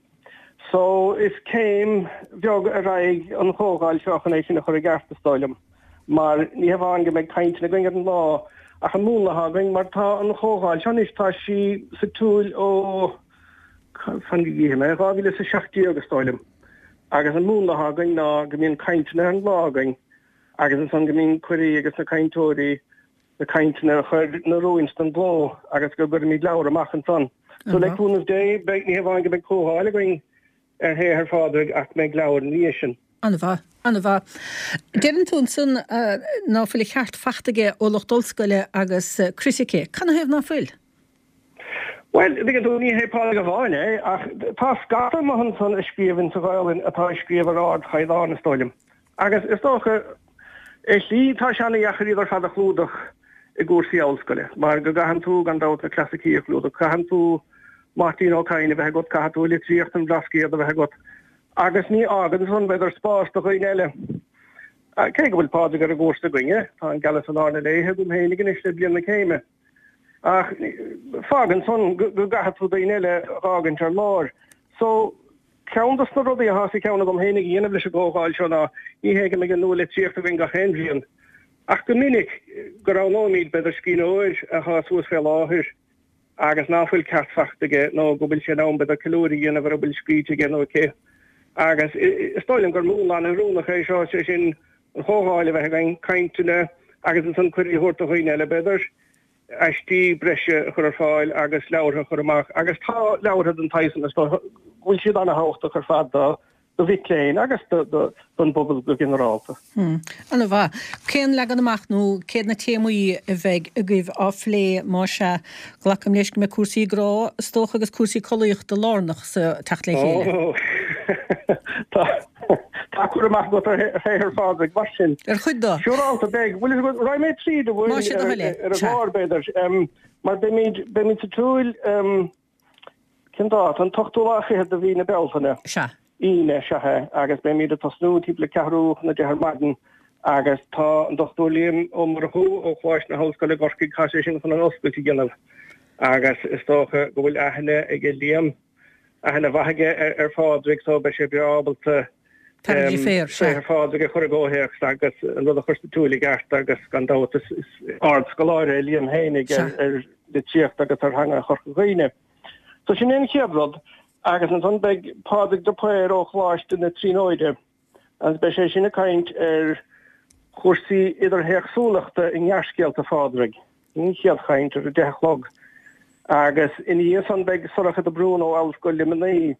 So, is céim bheag ar aghaidh an chomhdháil seo chun é sin a chur i gceart, is dóigh liom, mar ní hamháin go mbeidh cainteanna againn ar an lá, ach an múnla atá againn, mar tá an chomhdháil seo anois, tá sí sa tsiúl ó, fan go gcífidh mé, dhá mhíle is a seacht déag, is dóigh liom, agus an múnla atá againn ná go mbíonn cainteanna ar an lá againn agus ansan go mbíonn cuirí ages na cainteoirí na cainteanna a chur in oiriúint don gcló agus go gcuirimid leabhar amach ansan. So le cúnamh Dé, beidh, ní hamháin go mbeidh comhdháil againn ar shaothar Phádraig ach mbeidh leabhar ina dhiaidh sin. An-mhaith, an-mhaith. Deireann tú ansan ná fuil a cheart fachta aige ó lucht ollscoile agus critice. Canathaobh ná fuil? Bhuel, tuigeann tú, ní hé Pádraig amháin é, ach tá scata amuigh ansan a scríobhann sa Ghaolainn atá ag scríobh ar ardchaighdeán, is dóigh liom. Agus is dócha, ar shlí, tá sé ana-dheacair iad ar fad a chlúdach i gcúrsaí ollscoile, mar go gcaitheann tú, gan dabht, na clasaicí a chlúdach, caitheann tú Máirtín Ó Cadhain a bheith agat, caithfidh tú litríocht an Bhlascaoid a bheith agat, agus ní fhágann san, b'fhéidir, spás do dhaoine eile. Cé go bhfuil Pádraig ar an gcúrsa againne, tá An Gealas i Lár na Léithe agam féinig anois le bliain na céime, ach fágann san go gcaithfidh tú daoine eile a dh'fhágaint ar lár. So. Ceann dos na rudaí atá sa cheann agam féinig a dhéanamh leis an gcomhdháil seo ná, ní hé go mbeidh an nua-litríocht againn gach aon bhliain, ach go minic go roghnóimid, b'fhéidir, scríbhneoir atá suas fé láthair agus ná fuil ceart fachta aige nó go bhfuil sé in am, b'fhéidir, ceiliúradh a dhéanamh ar a bhfuil scríte aige nó aici. Agus is dóigh liom gur múnla an-oiriúnach é seo, sé sin, an chomhdháil a bheith againn, cainteanna agus ansan cuirí a thabhairt do dhaoine eile, b'fhéidir. aistí breise a chur ar fáil agus leabhartha a chur amach agus tá leabhartha den tsaghas san is dóigh go bhfuil siad an-thábhachtach ar fad do do mhic léinn agus do do don bpobal go ginearálta. Hmm. An-mhaith. Cén leagan amach nó céard na téamaí a bheidh agaibh á phlé más ea? Glacaim leis go mbeidh cúrsaí grá is dócha agus cúrsaí collaíochta lárnach sa teacht le chéile. Ó, tá Tá cur amach agat ar shaothar Phádraig mar sin. Ar chuid de. Siúrálta beidh. Bhuel, is raghaidh mé tríd a bhfuil ar an gclár, b'fhéidir, mar beimid, beimid sa tsiúl, cén dáta? An t-ochtú lá fichead de mhí na Bealtaine. Sea. Aoine, sea é, agus beimid ag tosnú timpeall le ceathrú chun a deich ar maidin agus tá an Dochtúir Liam Ó Murchú ó Choláiste na hOllscoile i gCorcaigh, tá sé sin chun an oscailt a dhéanamh agus is dócha go bhfuil aithne aige Liam aithne mhaith aige ar Phádraig so beidh sé breá ábalta saothar Phádraig a chur i gcomhthéacs agus an rud a chur sa tsiúl i gceart agus gan dabht is ard-scoláire é Liam féinig ar litríocht agus ar theanga Chorca Dhuibhne. So sin é an chéad rud agus ansan beidh Pádraig de Paor ó Choláiste na Tríonóide agus beidh sé sin ag caint ar chúrsaí idirthéacsúlachta i ngearrscéalta Phádraig. An chéad chaint ar a deich a chlog agus ina dhiaidh san beidh Sorcha de Brún ó Ollscoil Luimnigh,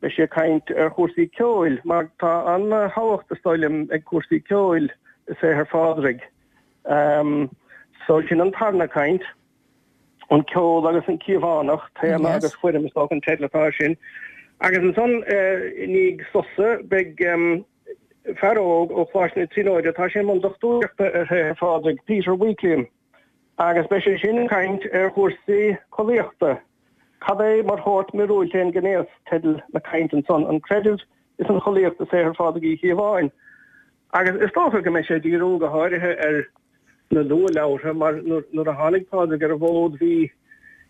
beidh sí ag caint ar chúrsaí ceoil mar tá an-thábhacht is dóigh liom ag cúrsaí ceoil i saothar Phádraig. So sin an tarna caint, an ceol agus an Cíobhánach, téama agus foirm is dócha an teideal atá air sin. Agus ansan i ndiaidh sosa beidh fear óg ó Choláiste na Tríonóide, tá sé i mbun dochtúireachta ar shaothar Phádraig, Peter Weakliam. Agus beidh sé sin ag caint ar chúrsaí collaíochta. Cad é mar shórt míorúilt é an gnéas, teideal na cainte ansan, an creideamh is an chollaíocht i saothar Phádraig Uí Chíobháin. Agus is dócha go mbeidh sé ag díriú go háirithe ar na luathleabhartha mar nuair a tháinig Pádraig ar an bhfód bhí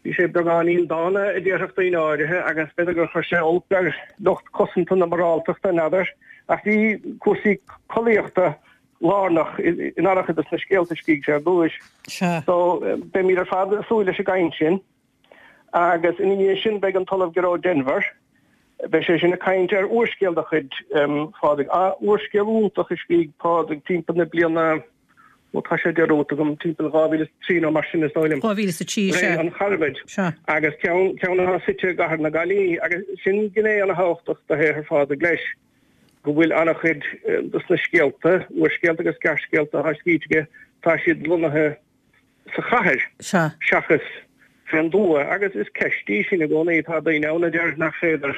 bhí sé beagáinín dána a déarfadh daoine áirithe agus b'fhéidir gur chuir sé olc ar lucht cosanta na moráltachta, n'fheadar, ach bhí cúrsaí collaíochta lárnach in an-chuid de na scéalta a scrígh sé ar dtúis. So, beimid ar fad ag súil leis an gcaint sin. Agus ina dhiaidh sin beidh an tOllamh Gearóid Denvir, beidh sé sin ag caint ar úrscéal de chuid Phádraig, úrscéal iontach a scrígh Pádraig timpeall na bliana Ó tá sé dearúdta agam, timpeall dhá mhíle is a trí nó mar sin is dóigh liom. Dhá mhíle is a trí, Ré sea. an Charbaid. Sea. Agus ceann, ceann atá suite i gcathair na Gaillimhe agus sin gné ana-thábhachtach de shaothar Phádraig leis, go bhfuil ana-chuid dos na scéalta, úrscéalta agus gearrscéalta atá scríte aige, tá siad lonnaithe sa chathair Sea. seachas fén dtuath. Agus is ceist í sin i gcónaí, tá daoine ann a deir nach féidir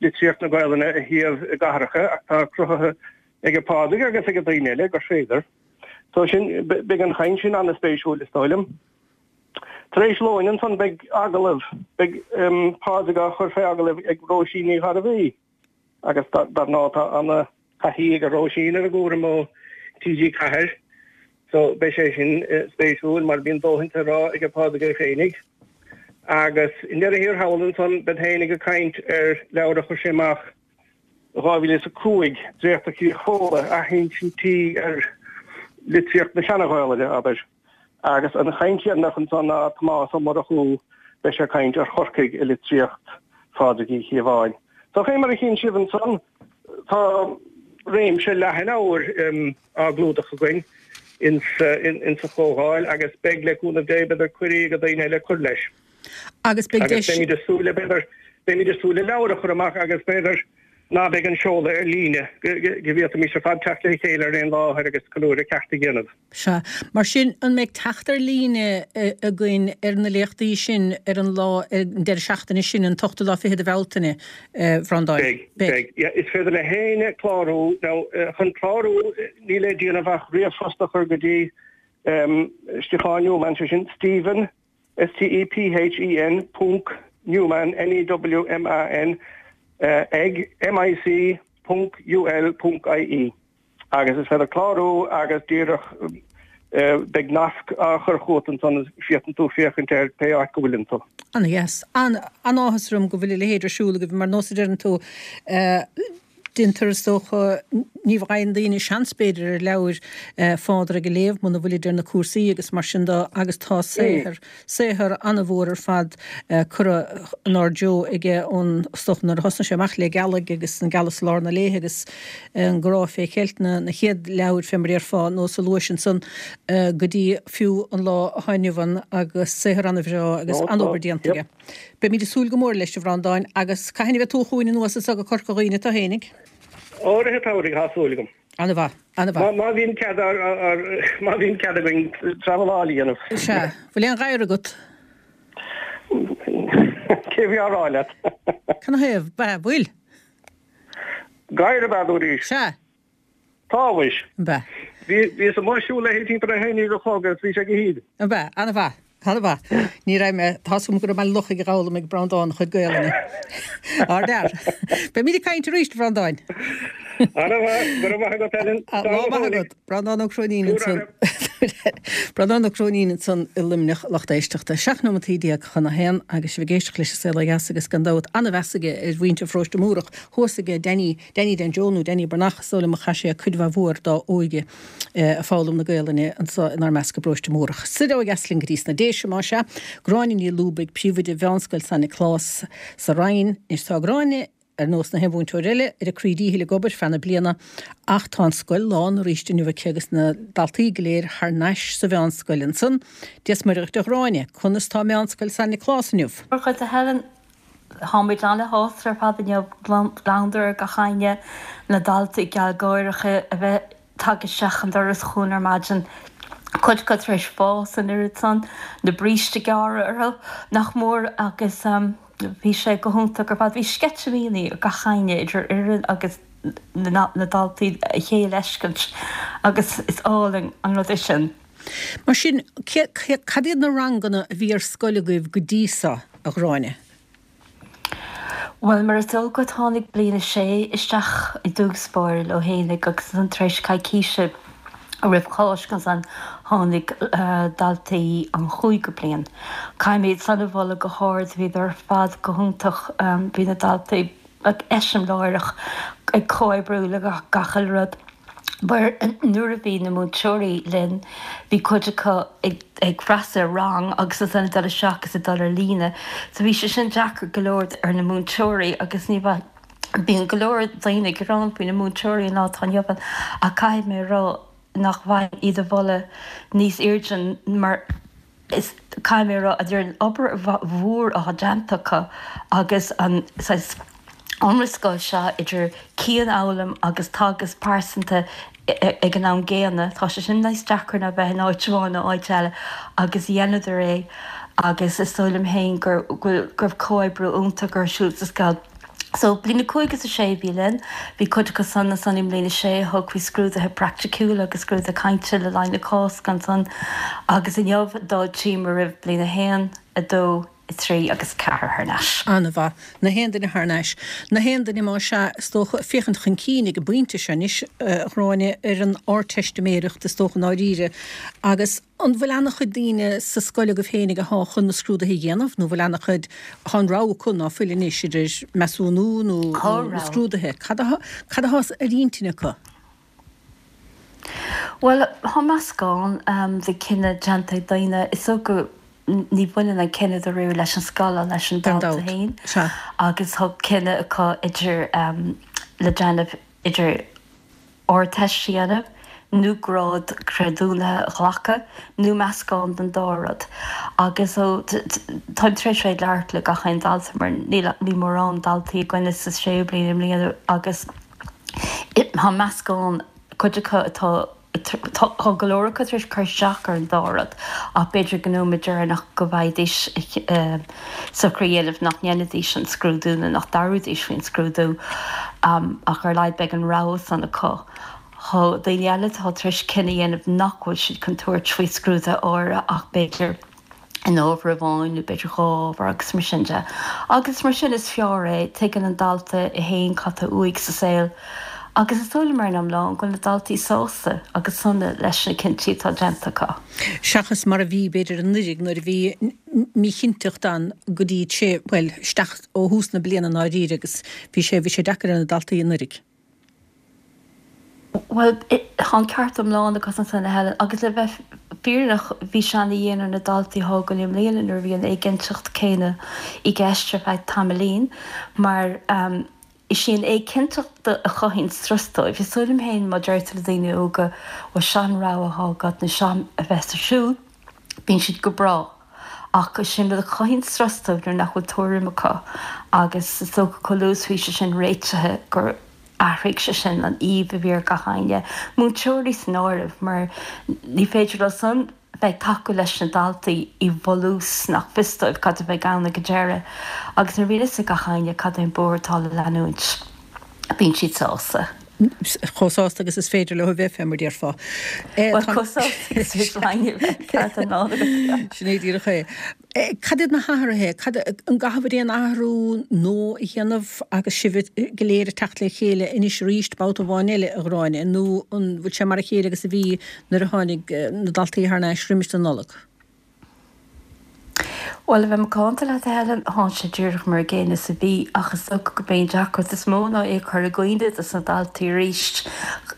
litríocht na Gaelainne a shuíomh i gcathracha ach tá cruthaithe ag Pádraig agus ag daoine eile gur féidir. So sin, beidh an chaint sin an-spéisiúil is dóigh liom. Tar éis lóin ansan beidh agallamh, beidh Pádraig á chur fé agallamh ag Róisín Ní Ghairbhí agus dar ndóigh tá ana-thaithí ag Róisín ar an gcúram ó T G Ceathair so beidh sé sin spéisiúil mar bíonn dóthain le rá ag Pádraig é féinig. Agus i ndeireadh thiar thall ansan bead féinig ag caint ar leabhar a chuir sé amach i dhá mhíle is a cúig, Dréachta Chríoch Fódhla, athinsintí ar litríocht na Seana-Ghaelainne, abair. Agus an chaint dheireanach ansan ná Tomás Ó Murchú, beidh sé ag caint ar Chorcaigh i litríocht Phádraig Uí Chíobháin. So fé mar a chíonn sibh ansan, tá réimse leathan ábhair á gclúdach againn insa chomhdháil agus beidh, le cúnamh Dé, b'fhéidir cuirí ag daoine eile cur leis. Agus beidh Agus deis. beimid ag súil le, b'fhéidir, beimid ag súil le leabhar a chur amach agus b'fhéidir ná beidh an seoladh ar líne, go bhféadfaimis ar fad teacht le chéile ar aon láthair agus ceiliúradh ceart a dhéanamh. Sea. Mar sin, an mbeidh teacht ar líne againn ar na léachtaí sin ar an lá, ar an deireadh seachtaine sin, an t-ochtú lá fichead de Bhealtaine, a Bhreandáin? Beidh, beidh. Yeah, is féidir le héinne clárú. Now, chun clárú, níl le déanamh ach ríomhphost a chur go dtí Stiofán Newman, sé sin Stephen, S T E P H E N, ponc, Newman, N E W M A N, ag M I C ponc U L ponc I E agus is féidir clárú agus díreach beidh nasc á chur chugat ansan is féadann tú féachaint air pé áit go bhfuileann tú. Ana-dheas. An-áthas orm go bhfuil a leithéid ar siúl agaibh mar nós a deireann tú déantar is dócha, ní bhfaigheann daoine seans b'fhéidir ar leabhair Phádraig a léamh muna bhfuilid ar na cúrsaí agus mar sin de agus tá saothar, saothar an-mhór ar fad curtha inár dtreo aige ón, is dócha nuair a thosnaigh sé amach le Gealaigh agus an Gealas i Lár na Léithe agus an Grá fé Cheilt, na na chéad leabhair fé mar a déarfá, nós a luais ansan go dtí fiú an lá atá inniu ann agus saothar an-bhreá agus an-obair déanta aige. Beimid ag súil go mór leis, a Bhreandáin, agus cathain a bheidh tú chugainn anuas anso go Corca Dhuibhne tú fhéinig? Ó, rith an tsamhraidh, tá súil agam. Ana-mhaith, ana-mhaith. Má bhíonn cead má bhíonn cead againn traveláil a dhéanamh. Sea. Bhfuil aon ghadhar agat? Cé bhí á rá leat? Canathaobh? Bhfuil? Gadhar ab ea dúraís? Sea. Tá, mhuis. Ab ea? Bhíos amuigh ag siúl léi timpeall a haon déag a chlog agus bhí sé go haoibhinn. Ab ea? Ana-mhaith. Ana-mhaith. Ní raibh mé, tá's agam go raibh mé luch ag foghlaim ag Breandán a chuid Gaelainne. Ardfhear. Beimid ag caint arís, a Bhreandáin. Ana-mhaith. Go raibh maith agat, Helen. Lá maith agat. Breandán Ó Cróinín ansan. Breandán Ó Cróinín ansan i Luimneach, lucht éisteachta. Seacht nóimeataí déag chun a haon agus sibh ag éisteacht leis an Saol Ó Dheas agus gan dabht an-mheas aige ar mhuintir Pharóiste Múrach thuas aige Danny, Danny Dan Joe nó Danny Breathnach is dóigh liom a chaith sé cuid mhaith mhór dá óige ag foghlaim na Gaelainne anso inár measc i bparóiste Múrach. Soir ó dheas linn go dtí sna Déise, más ea. Gráinne Ní Lúbaigh, príomhoide Mheánscoil San Nioclás sa Rinn. Anois tá Gráinne, ar nós na haon mhúinteoir eile, ar a croí díchill ag obair feadh na bliana ach tá an scoil lán arís inniu aici agus na daltaí go léir thar n-ais sa mheánscoil ansan. Dia 's Muire dhuit a Ghráinne, conas tá Meánscoil San Nioclás inniu? Dia dhuit a Helen. Táimid ana-shásta ar fad inniu, gliondar ar gach éinne, na daltaí gealgháireach a bheith tagtha isteach an doras chugainn ar maidin, cuid acu tar éis fás an oiread san, na brístí gearra orthu nach mór agus bhí sé go hiontach ar fad. Bhí sceitimíní ar gach éinne, idir fhoireann agus na daltaí, a chéile a fheiscint agus is álainn an rud é sin. Mar sin, cad iad na ranganna a bhí ar scoil agaibh go dtí seo, a Ghráinne? Bhuel, mar is eol duit, tháinig Bliain a Sé isteach i dtús báire leo fhéinig agus ansan tar éis coicíse roimh Cháisc ansan tháinig daltaí an chúigiú bliain. Caithfidh mé iad san a mholadh go hard, bhíodar ar fad go hiontach, bhí na daltaí eiseamláireach ag comhoibriú le gach uile rud. Mar nuair a bhí na múinteoirí linn, bhí cuid acu ag freastal ar rang agus ansan ag dul isteach agus ag dul ar líne. So bhí sé sin deacair go leor ar na múinteoirí agus ní bheadh, bíonn go leor daoine ag gearán faoi na múinteoirí an lá atá inniu ann ach caithfidh mé a rá, nach bhfaighinn iad a mholadh níos airde mar is caithfidh mé a rá idir an obair mhór atá déanta acu agus an saghas iomrascáil seo idir cianfhoghlaim agus teagasc pearsanta ag an am gcéanna, tá sé sin níos deacra ná bheith in áit amháin nó áit eile agus dheineadar é agus is dóigh liom féin gur go raibh comhoibriú iontach ar siúl sa scoil. So, bliain a cúig is a sé a bhí linn. Bhí cuid acu san ansan i mbliain a sé a thug faoi scrúduithe praiticiúla agus scrúduithe cainte le linn na Cásca ansan agus inniu d'fháiltíomar roimh bliain a haon, a dó, a trí agus a ceathair thar n-ais. An-mhaith. Na haon duine thar n-ais. Na haon duine más ea, is dócha, ag féachaint chun cinn ag an bpointe seo anois, a Ghráinne, ar an Ardteistiméireacht, is dócha, i ndáiríre agus An bhfuil ana-chuid daoine sa scoil agaibh féinig athá chun na scrúduithe a dhéanamh nó bhfuil ana-chuid, thá an rogha acu ná fuil anois idir measúnú nó Tá na rogha. scrúduithe? Cad athá, cad athá ar intinn acu? Bhuel, thá meascán de chinneadh déanta ag daoine. Is dócha ní bhaineann an cinneadh dáiríre leis an scoil ach leis an Gan dalta dabht. féin Sea. agus thá cinneadh acu idir le déanamh idir Ardteist a dhéanamh, nó grád creidiúnaithe a ghlacadh, nó meascán den dá rud. Agus ó, táim tar éis bheith ag labhairt le gach aon dalta mar níl, níl mórán daltaí againne sa séú bliain i mbliana agus tá meascán, cuid acu atá, tá go leor acu tar éis cur isteach ar an dá rud ach b'fhéidir go nóiméad deireanach go bhfaighidís socrú a dhéanamh nach ndéanfaidís an scrúdú nó nach dtabharfaidís faoin scrúdú ach ar a laghad beidh an rogha san acu. Tá daoine eile atá tar éis cinneadh a dhéanamh nach bhfuil siad chun tabhairt faoi scrúduithe áirithe ach b'fhéidir in ábhar amháin nó b'fhéidir dhá ábhar agus mar sin de. Agus mar sin is fearr é, tuigeann an dalta é féin cad tá uaidh sa saol agus is dóigh liom ar an iomlán go bhfuil na daltaí sásta agus sona leis na cinntí atá déanta acu. Seachas mar a bhí b'fhéidir anuraidh nuair a bhí míchinnteacht ann go dtí sé, bhuel, isteach ó thús na bliana i ndáiríre agus bhí sé, bhí sé deacair ar na daltaí anuraidh. Bhuel, tá an ceart iomlán agat ansan, a Helen, agus le bheith fírinneach, bhí sé ana-dhian ar na daltaí atá againn i mbliana nuair a bhí an éiginnteacht céanna i gceist ar feadh tamaillín, mar is í an éiginnteacht a chothaíonn strus dóibh. Is dóigh liom féin, má deir tú le daoine óga, bhuel, seo an rogha atá agat nó seo a bheas ar siúl, bíonn siad go breá. Ach is é an rud a chothaíonn strus dóibh nuair nach bhfuil tuairim acu agus is dócha chomh luath is a bhí sé sin réitithe gur athraigh sé sin an aoibh a bhí ar gach éinne, múinteoirí san áireamh, mar ní féidir leo san bheith ag tacú leis na daltaí i bhfolús nach fios dóibh cad a bheidh ann ag an deireadh. Agus nuair a bhíonn fhios ag gach éinne cad é an bóthar atá le leanúint, bíonn siad sásta. Chomh sásta agus is féidir leo a bheith, fé mar déarfá. Bhuel, chomh sásta agus is féidir le éinne a bheith, ceart iomlán agat. Sin é díreach é. Cad iad na hathruithe? Cad, an gcaithfear aon athrú nua a dhéanamh agus sibh go léir ag teacht le chéile anois arís babhta amháin eile, a Ghráinne, nó an bhfuil sé mar a chéile agus a bhí nuair a tháinig na daltaí thar n-ais roimis an Nollaig? Bhuel, a bheith macánta leat, a Helen, thá sé díreach mar an gcéanna is a bhí, ach is dócha go b'é an deacracht is mó ná é a chur i gcuimhne dos na daltaí arís.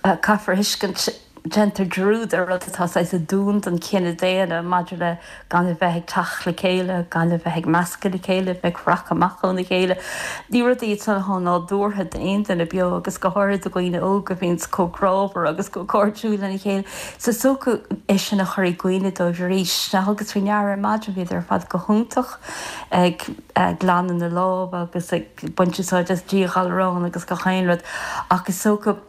Caithfear a thuiscint. Déantar dearúd ar rud atá saghas aduain don chine daonna maidir le gan a bheith ag teacht le chéile, gan a bheith ag meascadh le chéile, bheith ag rachadh amach óna chéile. Ní rudaí iad san atá nádúrtha d'aon duine beo agus go háirithe do dhaoine óga a bhíonns chomh grámhar agus chomh cairdiúil lena chéile. So is dócha é sin a chur i gcuimhne dóibh arís. Now thugas faoi ndeara ar maidin bhíodar ar fad go hiontach ag glanadh na lámh agus ag baint úsáid as díghalrán agus gach aon rud ach is dócha,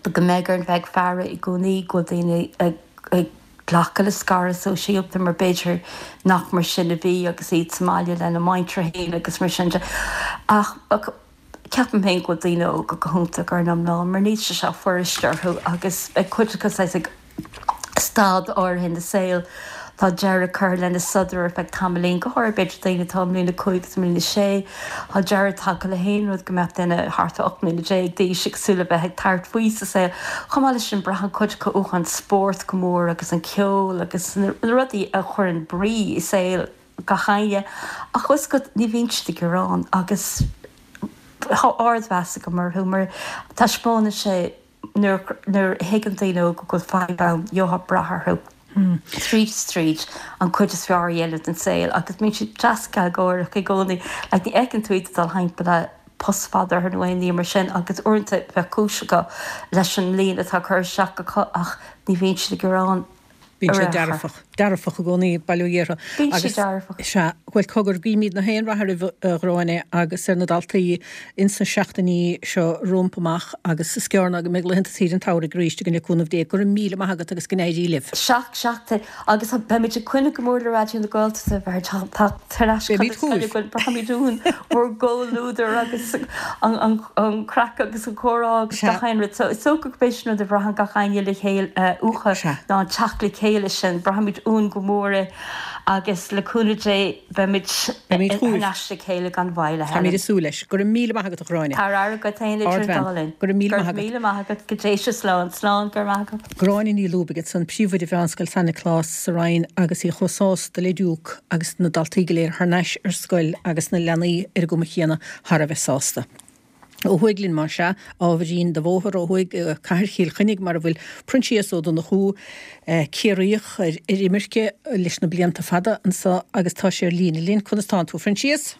go mbeidh orainn bheith ag faire i gcónaí go bhfuil daoine ag glacadh le scaradh sóisialta mar b'fhéidir nach mar sin a bhí agus iad sa mbaile lena muintir féin agus mar sin de. Ach ceapaim féin go bhfuil daoine óga go hiontach ar an iomlán mar níl sé seo fuirist orthu agus beidh cuid acu saghas ag staid áirithe ina saol, tá deireadh curtha lena sodar ar feadh tamaillín, go háirithe b'fhéidir daoine atá i mbliain a cúig agus i mbliain a sé. Tá deireadh tagtha le haon rud go mbeadh duine thart ar ocht mbliana déag d'aois ag súil le bheith ag tabhairt faoi sa saol. Chomh maith leis sin, braitheann cuid acu uathu an spórt go mór agus an ceol agus na rudaí a chuireann brí i saol gach éinne. Ach bhfuil fhios agat, ní bhíonn siad ag gearán agus tá ardmheas agam orthu mar taispeánann sé, Nuair a thuigeann daoine óga go bhfuil fadhb ann, gheofá brath orthu tríd is tríd an cuid is fearr a dhéanamh den saol agus bíonn siad deas gealgháireach i gcónaí. Like ní fheiceann tú iad ag dul thimpeall le post fada orthu nó aon ní mar sin agus uaireanta bheadh cúis acu leis an mbliain atá curtha isteach acu ach ní bhíonn siad ag gearán. Bíonn sé dearfach, dearfach i gcónaí bail ó Dhia orthu. Bíonn sé dearfach. Sea, bhuel cogar guímid na haon rath oraibh a Ghráinne agus ar na daltaí ins na seachtainí seo rompu amach agus is gearr ná go mbeidh laethanta saoire an tsamhraidh arís againn le cúnamh Dé. Go raibh míle maith agat agus go n-éirí libh. Seacht seachtain agus beimid ag coinne go mór le Raidió na Gaeltachta bheith tar ais Beimid chugaibh. Braithimid uainn bhur gcomhluadar agus an craic agus an comhrá agus gach aon rud. So is dócha gurb é sin rud a bhraitheann gach éinne le chéile uathu ná an teacht le chéile sin. Braithimid uainn go mór é agus le cúnamh Dé beimid thar n-ais le chéile gan mhoill, a Helen. Táimid ag súil leis. Go raibh míle maith agat, a Ghráinne. Tá aire agat féin idir an dá linn. Go raibh míle maith agat. Go raibh míle maith agat. Go dté sibh slán. Slán. Go raibh maith agat. Gráinne Ní Lúbaigh ansan, Príomhoide Mheánscoil San Nioclás sa Rinn agus í chomh sásta le diúc agus na daltaí go léir thar n-ais ar scoil agus na leanaí ar an gcuma chéanna thar a bheith sásta. Ó thuaidh linn más ea, ábhairín de bhóthar ó thuaidh go Cathair Chill Chainnigh mar a bhfuil Proinsias Ó Donnchú, Ciarraíoch ar imirce leis na blianta fada anso agus tá sé ar líne linn. Conas tánn tú, a Phroinsias?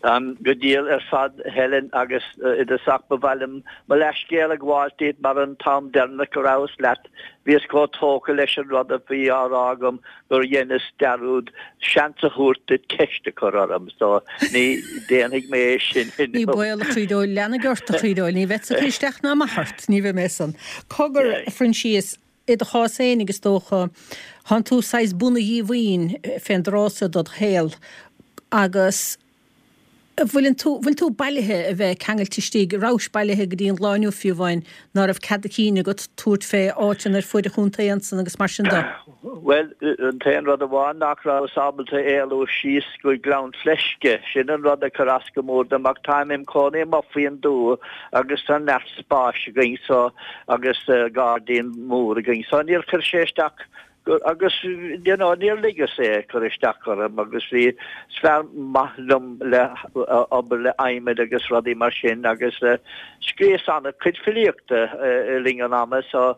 Táim go diail ar fad, a Helen, agus i dtosach ba mhaith liom mo leathscéal a ghabháil díot mar an t-am deireanach go rabhas leat bhíos chomh tógtha leis an rud a bhí á rá agam gur dheineas dearúd seans a thabhairt duit ceist a chur orm so ní déanfaidh mé é sin Ní inniu. baol a chroí dóil, leanfaidh ort a chroí dóil, ní bheadsa ag cur isteach ná amach ort, ní bheidh mé san. Cogar, a Phroinsias, i do chás fhéinig is dócha, thánn tú saghas buna-dhíomhaoin fén dtráth so dod shaol agus An bhfuileann tú, bhfuil tú bailithe a bheith ceangailte istigh, rabhais bailithe go dtí an lá inniu fiú amháin, ná raibh cead a chinn agat tabhairt fé áiteanna ar fuaid an chontae ansan agus mar sin de? Bhuel, an t-aon rud amháin nach rabhas ábalta éalú síos go Gleann Fleisce, sin an rud a chuir as go mór dom ach táim im chónaí amuigh faoin dtuath agus tá neart spáis againn so agus gairdín mór againn so níor chuir sé isteach Agus you know níor ligeas é cur isteach orm agus bhí is fear maith liom le obair le adhmad agus rudaí mar sin agus scríos an-chuid filíochta i linn an ama so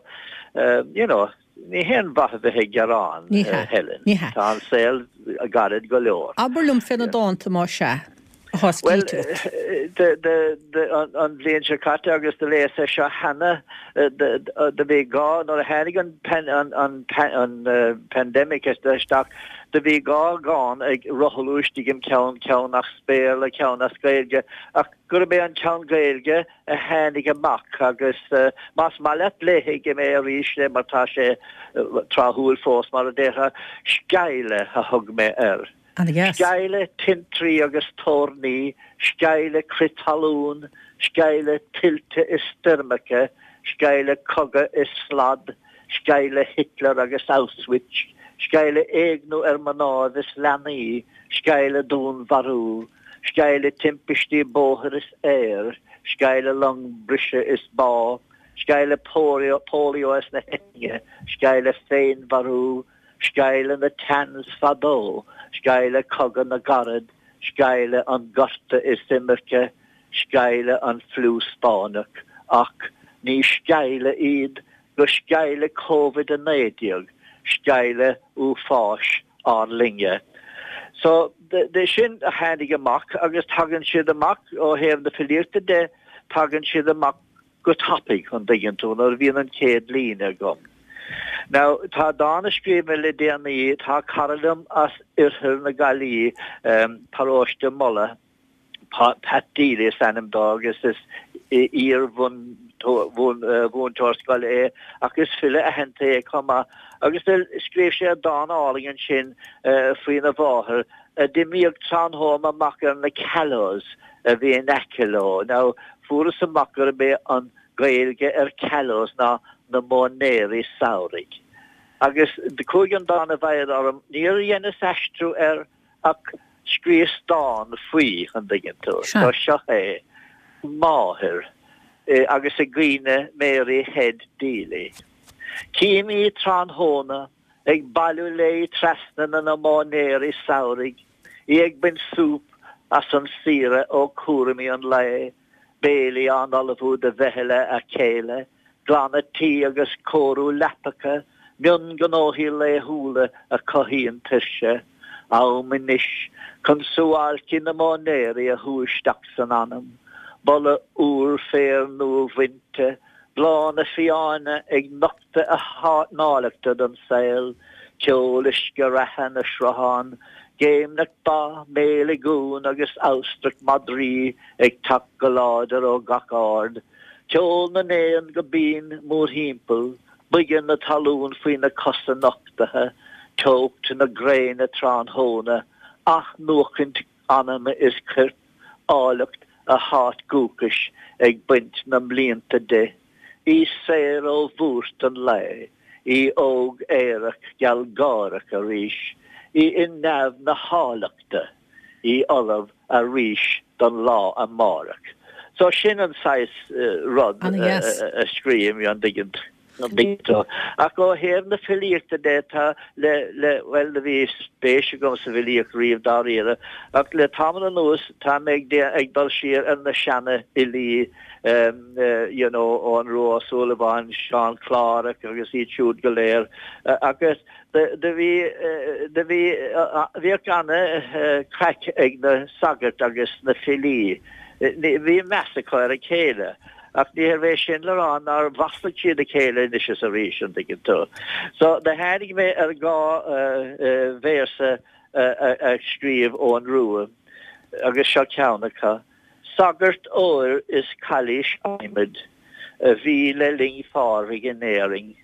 you know ní haon mhaith a bheith ag gearán, Ní hea. Helen. Ní hea. Tá an saol gairid go leor. Abair liom fé na dánta más ea. atá Bhuel, scríte agat. an bhliain seo caite agus do léas é seo cheana, do bhí dhá, nuair a tháinig an pandemic isteach, do bhí dhá dhán ag rothlú istigh im cheann, ceann as Béarla, ceann as Gaeilge, ach gurb é an ceann Gaeilge a tháinig amach agus más maith leat léifidh mé arís é mar tá sé tráthúil fós, mar a déarfá, Sceimhle a thug mé air. Ana-dheas. Sceimhle tintrí agus toirní, sceimhle crith talún, sceimhle tuilte is stoirmeacha, sceimhle cogadh is slad, sceimhle Hitler agus Auschwitz, sceimhle éigniú ar mnáibh is leanaí, sceimhle dúnmharú, sceimhle timpistí bóthair is aeir, sceimhle long briseadh is bá, sceimhle polio is na heitinne, sceimhle féinmharú, Sceimhle na Tans fadó, sceimhle Cogadh na gCarad, sceimhle an Gorta is imirce, sceimhle an Fliú Spáinneach, ach ní sceimhle iad go sceimhle Covid a naoi déag, sceimhle uafáis ár linne. So, de sin a tháinig amach agus tagann siad amach ó thaobh na filíochta de, tagann siad amach go tapaidh, an dtuigeann tú, nuair a bhíonn an chéad líne agam. Now, tá dán a scríobh mé le déanaí, tá cara liom as oirthear na Gaillimhe, paróiste Mullagh, Pat Deely is ainm dó agus is iar-mhúinteoir scoile é ach is file aitheanta é chomh maith agus scríobh sé dán álainn ansin faoina mháthair a d'imíodh tráthnóna amach ar na callows a bhí in aice leo. Now, fuaireas amach gurb é an Gaeilge ar callows ná na móinéirí samhraidh. Agus do chuaigh an dán i bhfeidhm orm, níor dheineas aistriú air ach scríos dán faoi, an dtuigeann tú. Sea. So seo é, Máthair, agus i gcuimhne Mary Head Deely. Cím í tráthnóna ag bailiú léi trasna na móinéirí samhraidh, í ag baint súp as an saoire ó chúraimí an lae, béilí á n-ullmhú do mheitheal a chéile, glanadh tí agus cóiriú leapacha, mionghnóthaí laethúla a chothaíonn tuirse. Am anois chun suáilcí na móinéirí a shú isteach san anam. boladh úr féir nua-bhainte, bláthanna fiáine ag nochtadh a n-áilleachta don saol, ceol uisce reatha na sruthán, géimneach ba, méiligh uan agus amhastrach madraí ag teacht go láidir ó gach aird, ceol na n-éan go binn mórthimpeall, boige na talún faoi na cosa nochtaithe, teocht na gréine tráthnóna, athnuachaint anama is coirp, áilleacht a háit dhúchais ag baint na mblianta di, í saor ó bhuairt an lae, í óg aerach gealgháireach arís, í i neamh na háilleachta, í ullamh arís don lá amárach. So sin an saghas rud a scríobhaim, an dtuigeann tú. Ach ó thaobh na filíochta de, tá le, le, bhuel, do bhí spéis agam sa bhfilíocht riamh dáiríre, ach le tamall anuas tá mé ag, ag dul siar ar na seana-fhilí, you know, Eoghan Rua Ó Súilleabháin, Seán Clárach agus iad siúd go léir. Agus do bhí, do bhí, bhíodh ana-chraic ag na sagairt agus na filí. Bhí meas acu ar a chéile. Ach níorbh é sin le rá nár mhaslaigh siad a chéile anois is arís, an dtuigeann tú. So, do tháinig mé ar dhá véarsa a scríobh Eoghan Rua, agus seo ceann acu, Sagart óir is cailís adhmaid a bhí le linn Phádraig in Éirinn.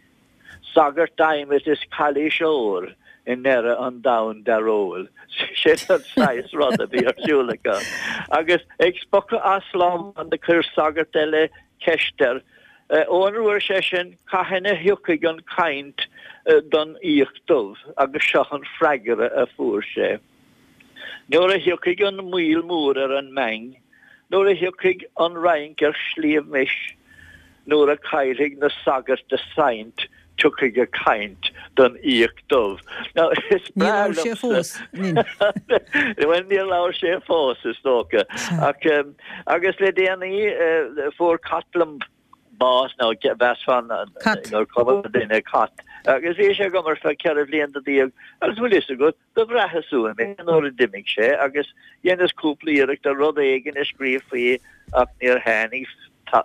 Sagart adhmaid is cailís óir i ndeireadh an domhain dearóil. Sin an saghas rud a bhí ar siúl acu. Agus ag spochadh as lá amháin do chuir sagart eile ceist air, Eoghan Rua, ar seisean, cathain a thiocfaidh an chaint don fhiach dubh? Agus seo an freagra a fuair sé. Nuair a thiocfaidh an moill mór ar an mBeinn, nuair a thiocfaidh an Fhrainc ar Shliabh Mis, nuair a caillfidh na sagairt a saint, tiocfaidh a caint don fhiach dubh. Now, is Níor breá labhair sé liomsa. fós. Bhuel, níor labhair sé fós, is dócha. Ach, agus le déanaí, fuair cat liom bás, nó mheasfá Cat. gur cuma le duine cat. Agus bhí sé agam ar feadh ceithre bhlianta déag, agus bhfuil fhios agat, do bhraitheas uaim é nuair a d'imigh sé, agus dheineas cúpla iarracht ar rud éigin a scríobh faoi ach níor tháinig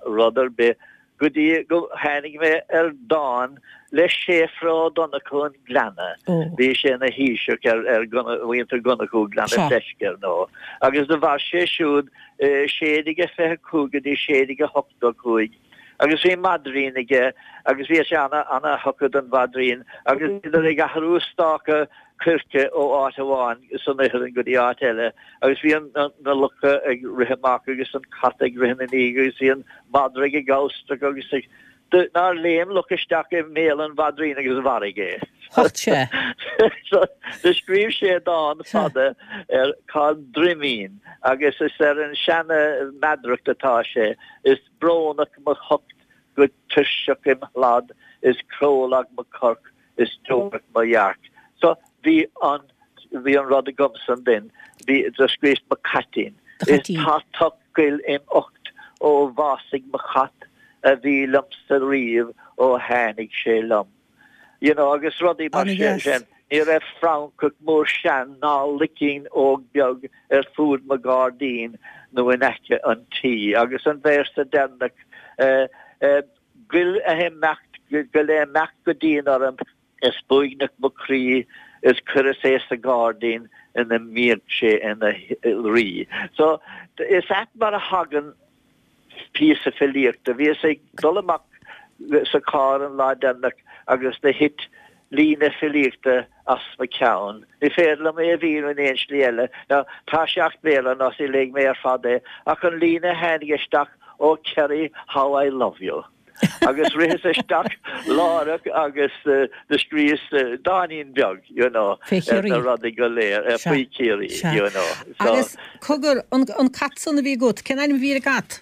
rud ar bith go dtí go tháinig mé ar dán le Séafra Ó Donnchú an Ghleanna. Bhí sé ina thaoiseach ar ar mhuintir Dhonnchú Gleanna Fleisce, ar ndóigh, agus do mhair sé siúd sé déag a fiche cúig go dtí sé déag a hochtó cúig. Agus bhí maidrín aige agus bhí sé ana ana thugtha don mhaidrín agus bhíodar ag athrú stáca coirce ó áit amháin san iothar go dtí áit eile agus bhí an na lucha ag rith amach agus an cat ag rith ina ndiaidh agus bhí an madra ag amhastrach agus ag nár léim luch isteach i mbéal an mhaidrín agus mharaigh é. Hocht sé. So do scríobh sé dán fada ar Cá'il Droimín agus is ar an seana meadaracht atá sé, is brónach mo thocht go tuirseach im shlad is crólag mo chorp is deorach mo dhearc. So bhí an bhí an rud agamsa ansin, bhí do scríos mo chaitín. Do Is chaitín. tá tocht goil im ucht ó bhásaigh mo chat a bhí liomsa riamh ó tháinig sé liom. You know, agus rudaí mar Ana-dheas. sin. Ní raibh francach mór sean ná licín óg beag ar fuaid mo ghairdín nó in aice an tí. Agus an véarsa deireanach, eh, eh, goil a imeacht, goil a imeacht go dian orm, is b'uaigneach mo chroí, is cuireas é sa ghairdín ina mbíodh sé ina rí. So, is ait mar a thagann píosa filíochta. Bhíos ag dul amach sa charr an lá deireanach agus do thit líne filíochta as mo cheann. Ní féidir liom é a mhíniú in aon slí eile. Now, tá sé as Béarla ná sí léigh mé ar fad é, ach an líne a tháinig isteach, Oh Kerry, how I love you. Agus ritheas isteach láithreach agus do scríos dáinín beag, you know, Fé ar Chiarraí. na rudaí go léir, Sea. faoi Chiarraí, Sea. you know. So, Agus cogar, an, an cat san a bhí agat, cén ainm a bhí ar an gcat?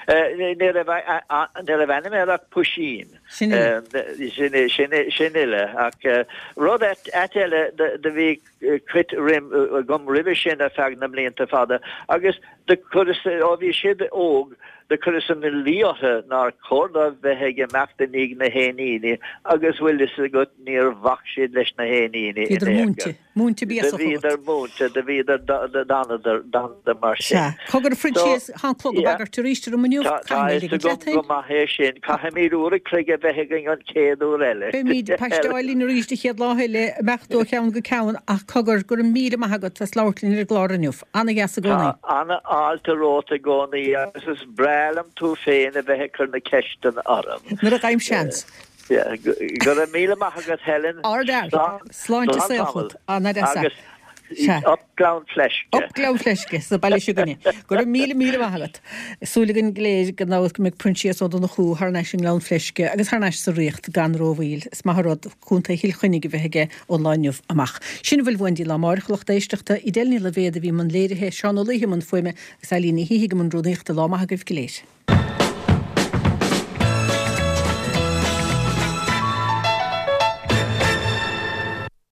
Ní raibh ní raibh ainm air ach Puisín. Sin uile. Sin uile. Ach rud ait eile do bhí cuid agam roimhe sin ar feadh na mblianta fada agus do chuireas, ó bhí siad óg, do chuireas ina luí orthu nár chóir dóibh bheith ag imeacht i ndiaidh na héiníní agus bhfuil fhios agat níor bhac siad leis na héiníní in Bhíodar aon chor. Múinte. Múinte Do bhíodar múinte, do bhíodar, d'fhanadar, d'fhanadar mar sin. Sea. Cogar a Phroinsias, tá an clog ag bagairt arís orm inniu. Tá Caithfidh mé fhios ligean leat agam féin. go maith é sin. Caithfimid uair a chloig a bheith againn an chéad uair eile. Beimid ag paisteáil linn arís an chéad lá eile, imeacht ó cheann go ceann ach cogar, go raibh míle maith agat as labhairt linn ar an gclár inniu. Ana-dheas i gcónaí. Tá ana-fháilte romhat i gcónaí agus is breá liom tú féin a bheith ag cur na ceisteanna orm. Nuair a fhaighim seans. Go raibh míle maith agat Helen. Ardfhear. Sláinte is saol chugat. Ana-dheas. Agus Sea. up Gleann Fleisce. Up Gleann Fleisce sa baile seo againne. Go raibh míle míle maith agat. Súil againn go léir gan dabht go mbeidh Proinsias Ó Donnchú thar n-ais i nGleann Fleisce agus thar n-ais sa Ríocht gan rómhoill. Is maith an rud Contae Chill Chainnigh a bheith aige ón lá inniu amach. Sin a bhfuil uainn go dtí lá amárach a lucht éisteachta. Edel Ní Loibhéad a bhí i mbun léirithe, Seán Ó Laoithe i mbun fuaime agus Eileen Ní hÍthigh i mbun rúnaíochta. Lá maith agaibh go léir.